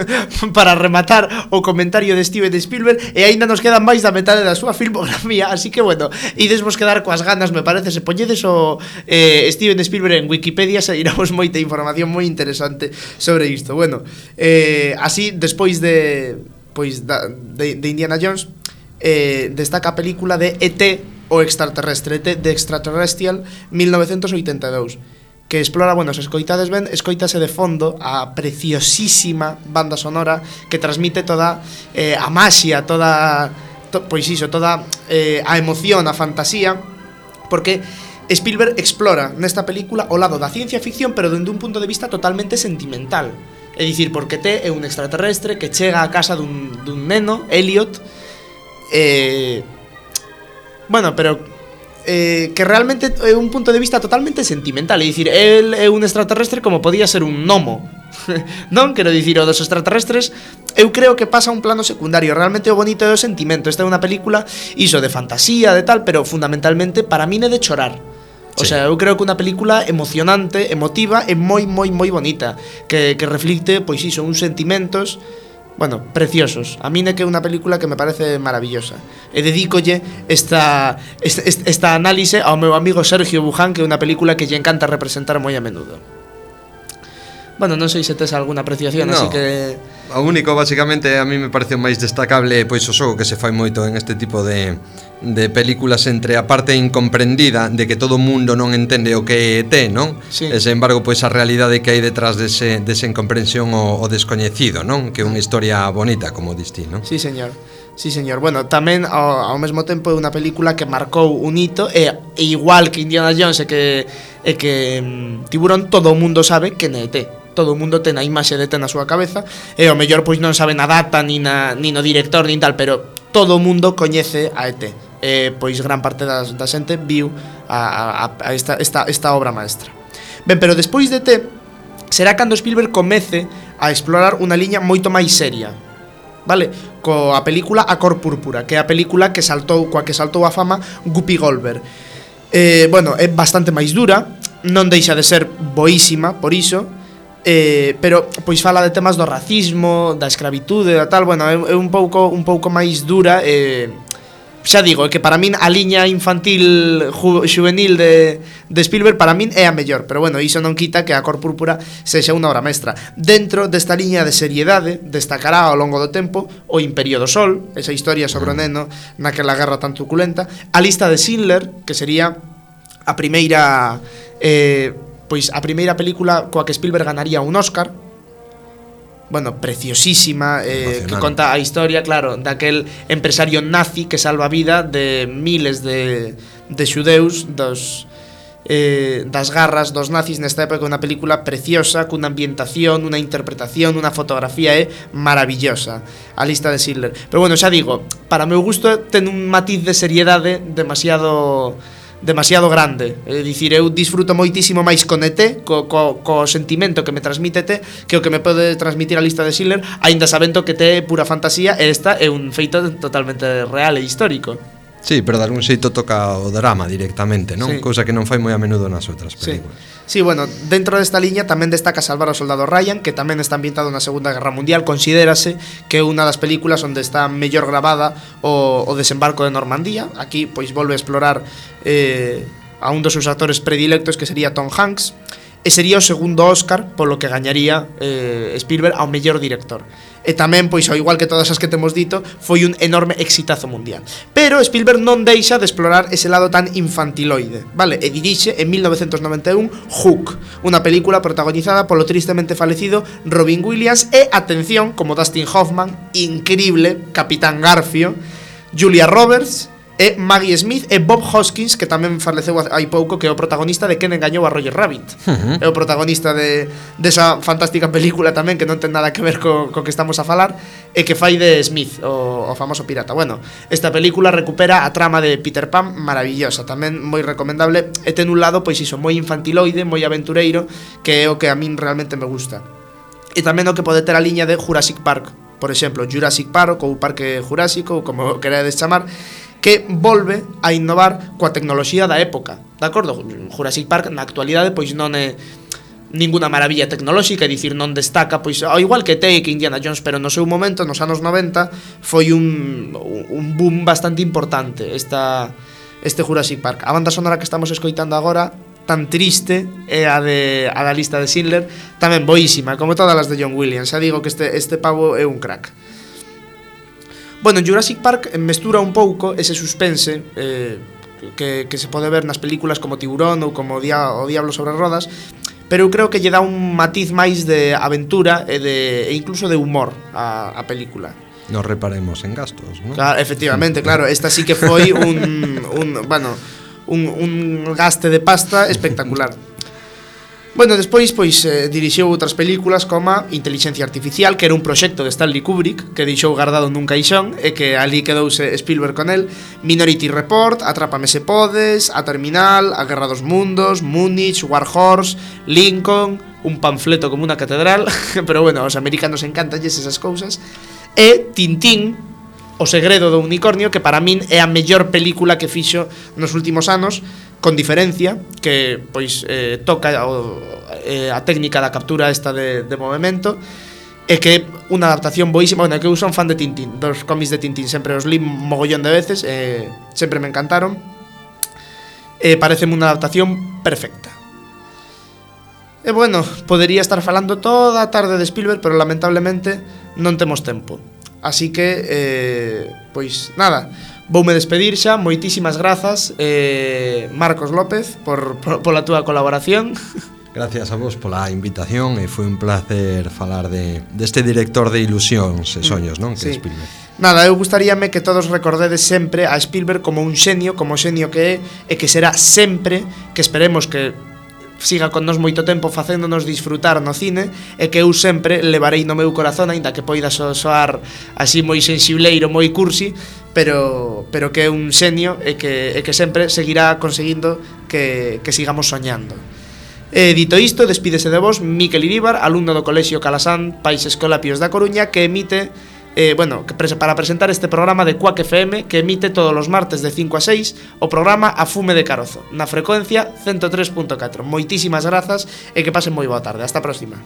para rematar o comentario de Steven Spielberg e aínda nos quedan máis da metade da súa filmografía, así que bueno, idesvos quedar coas ganas, me parece, se poñedes o eh, Steven Spielberg en Wikipedia se iramos moita información moi interesante sobre isto. Bueno, eh, así, despois de pois da, de, de Indiana Jones, eh, destaca a película de E T, o extraterrestre, E T de Extraterrestrial, mil novecentos oitenta e dous, que explora, bueno, se escoitades ben, escoitase de fondo a preciosísima banda sonora que transmite toda eh, a maxia, toda, to, pois iso, toda eh, a emoción, a fantasía, porque Spielberg explora nesta película o lado da ciencia ficción, pero dende un punto de vista totalmente sentimental. É dicir, porque T é un extraterrestre que chega á casa dun, dun neno, Elliot, eh, bueno, pero Eh, que realmente é un punto de vista totalmente sentimental. É dicir, el é un extraterrestre como podía ser un gnomo. Non, quero dicir, o dos extraterrestres eu creo que pasa a un plano secundario. Realmente o bonito é o sentimento. Esta é unha película iso de fantasía, de tal, pero fundamentalmente para min é de chorar. O sí. sea, eu creo que unha película emocionante, emotiva e moi, moi, moi bonita, que, que reflicte, pois iso, uns sentimentos, bueno, preciosos. A min é que é unha película que me parece maravillosa. E dedícolle esta, esta, esta análise ao meu amigo Sergio Buján, que é unha película que lle encanta representar moi a menudo. Bueno, non sei se tes alguna apreciación, no, así que...
O único, basicamente, a mí me pareceu máis destacable pois o xogo que se fai moito en este tipo de, de películas entre a parte incomprendida de que todo o mundo non entende o que é E T, non?
Sí.
E, sen embargo, pois a realidade que hai detrás dese, dese incomprensión o, o descoñecido, non? Que é unha historia bonita, como distí, non?
Sí, señor. Sí, señor. Bueno, tamén ao, ao mesmo tempo é unha película que marcou un hito, e, e igual que Indiana Jones e que, e que um, Tiburón, todo o mundo sabe que é E T. Todo o mundo ten a imaxe de T na súa cabeza, e ao mellor pois non sabe na data, ni, na, ni no director, nin tal, pero todo o mundo coñece a E T. E pois gran parte das, da xente viu a, a, a esta, esta, esta obra maestra. Ben, pero despois de T será cando Spielberg comece a explorar unha liña moito máis seria, vale? Coa película A Cor Púrpura, que é a película que saltou, coa que saltou a fama Whoopi Goldberg. Eh, bueno, é bastante máis dura, non deixa de ser boísima por iso, eh, pero pois fala de temas do racismo, da escravitude, da tal, bueno, é, é un pouco un pouco máis dura, eh, xa digo, é que para min a liña infantil ju, juvenil de, de Spielberg para min é a mellor, pero bueno, iso non quita que A Cor Púrpura sexa unha obra mestra. Dentro desta liña de seriedade destacará ao longo do tempo O Imperio do Sol, esa historia sobre o neno naquela guerra tan truculenta, A Lista de Schindler, que sería a primeira eh, pois a primeira película coa que Spielberg ganaría un Oscar. Bueno, preciosísima, eh, que conta a historia, claro, daquel empresario nazi que salva a vida de miles de, de xudeus dos, eh, das garras dos nazis nesta época. Unha película preciosa, cunha ambientación, unha interpretación, unha fotografía é maravillosa, A Lista de Schindler. Pero bueno, xa digo, para meu gusto ten un matiz de seriedade demasiado... demasiado grande. É dicir, eu disfruto moitísimo máis con E T, co, co, co sentimento que me transmite E T, que o que me pode transmitir A Lista de Schindler, aínda sabendo que T é pura fantasía e esta é un feito totalmente real e histórico.
Sí, pero de algún xeito toca o drama directamente, non? Sí. Cousa que non fai moi a menudo nas outras películas.
Sí. Sí, bueno, dentro desta liña tamén destaca Salvar ao soldado Ryan, que tamén está ambientado na Segunda Guerra Mundial. Considérase que é unha das películas onde está mellor gravada o, o desembarco de Normandía. Aquí, pois, volve a explorar eh, a un dos seus actores predilectos, que sería Tom Hanks, e sería o segundo Oscar polo que gañaría eh, Spielberg ao mellor director. E tamén, pois, ao igual que todas as que temos dito, foi un enorme exitazo mundial. Pero Spielberg non deixa de explorar ese lado tan infantiloide, vale? E dirixe en mil novecentos noventa e un Hook, unha película protagonizada polo tristemente falecido Robin Williams e, atención, como Dustin Hoffman, increíble, Capitán Garfio, Julia Roberts e Maggie Smith e Bob Hoskins, que tamén faleceu hai pouco, que é o protagonista de Quen engañou a Roger Rabbit. Uh-huh. É o protagonista de desa de fantástica película tamén, que non ten nada que ver co, co que estamos a falar, e que fai de Smith, o, o famoso pirata. Bueno, esta película recupera a trama de Peter Pan, maravillosa, tamén moi recomendable, e ten un lado, pois iso, moi infantiloide, moi aventureiro, que é o que a min realmente me gusta. E tamén o que pode ter a liña de Jurassic Park, por exemplo, Jurassic Park ou Parque Jurásico, ou como queredes chamar, que volve a innovar coa tecnoloxía da época, de acordo? Jurassic Park na actualidade pois non é ninguna maravilla tecnolóxica, é dicir, non destaca, pois ao igual que T que Indiana Jones, pero no seu momento, nos anos noventa, foi un, un boom bastante importante esta, este Jurassic Park. A banda sonora que estamos escoitando agora, tan triste, é a, de, a da lista de Schindler, tamén boísima, como todas as de John Williams. Xa digo que este, este pavo é un crack. Bueno, en Jurassic Park mestura un pouco ese suspense eh, que, que se pode ver nas películas como Tiburón ou como Dia, o Diablo sobre rodas, pero eu creo que lle dá un matiz máis de aventura e, de, e incluso de humor a, a película.
Nos reparemos en gastos, ¿no?
Claro, efectivamente, claro, esta sí que foi un, un bueno, un, un gaste de pasta espectacular. Bueno, despois pois eh, dirixiu outras películas como Inteligencia Artificial, que era un proxecto de Stanley Kubrick que deixou guardado nun caixón e que ali quedouse Spielberg con el. Minority Report, Atrápame se podes, A Terminal, A Guerra dos Mundos, Múnich, War Horse, Lincoln, un panfleto como unha catedral, pero bueno, aos americanos encantalles esas cousas. E Tintín, O segredo do unicornio, que para min é a mellor película que fixo nos últimos anos, con diferencia, que pois eh, toca o, eh, a técnica da captura esta de, de movimento, e que unha adaptación boísima. Bueno, que eu son fan de Tintín, dos cómics de Tintín, sempre os li mogollón de veces, eh, sempre me encantaron, e pareceme unha adaptación perfecta. E bueno, podería estar falando toda a tarde de Spielberg, pero lamentablemente non temos tempo. Así que, eh, pois nada, voume despedir xa. Moitísimas grazas, eh, Marcos López, por, por, pola túa colaboración.
Gracias a vos pola invitación e foi un placer falar de deste director de ilusións e soños, non? Que
Sí.
é Spielberg.
Nada, eu gustaríame que todos recordedes sempre a Spielberg como un xenio, como xenio que é, e que será sempre, que esperemos que siga con nos moito tempo facéndonos disfrutar no cine, e que eu sempre levarei no meu corazón, aínda que poida so, soar así moi sensibleiro, moi cursi, pero, pero que é un xenio e que, e que sempre seguirá conseguindo que, que sigamos soñando. E dito isto, despídese de vos Miquel Iríbar, alumno do Colexio Calasán Pais Escolapios da Coruña, que emite Eh, bueno, que pres para presentar este programa de Quack F M, que emite todos os martes de cinco a seis o programa A Fume de Carozo, na frecuencia ciento tres punto catro. Moitísimas grazas e que pasen moi boa tarde. Hasta a próxima.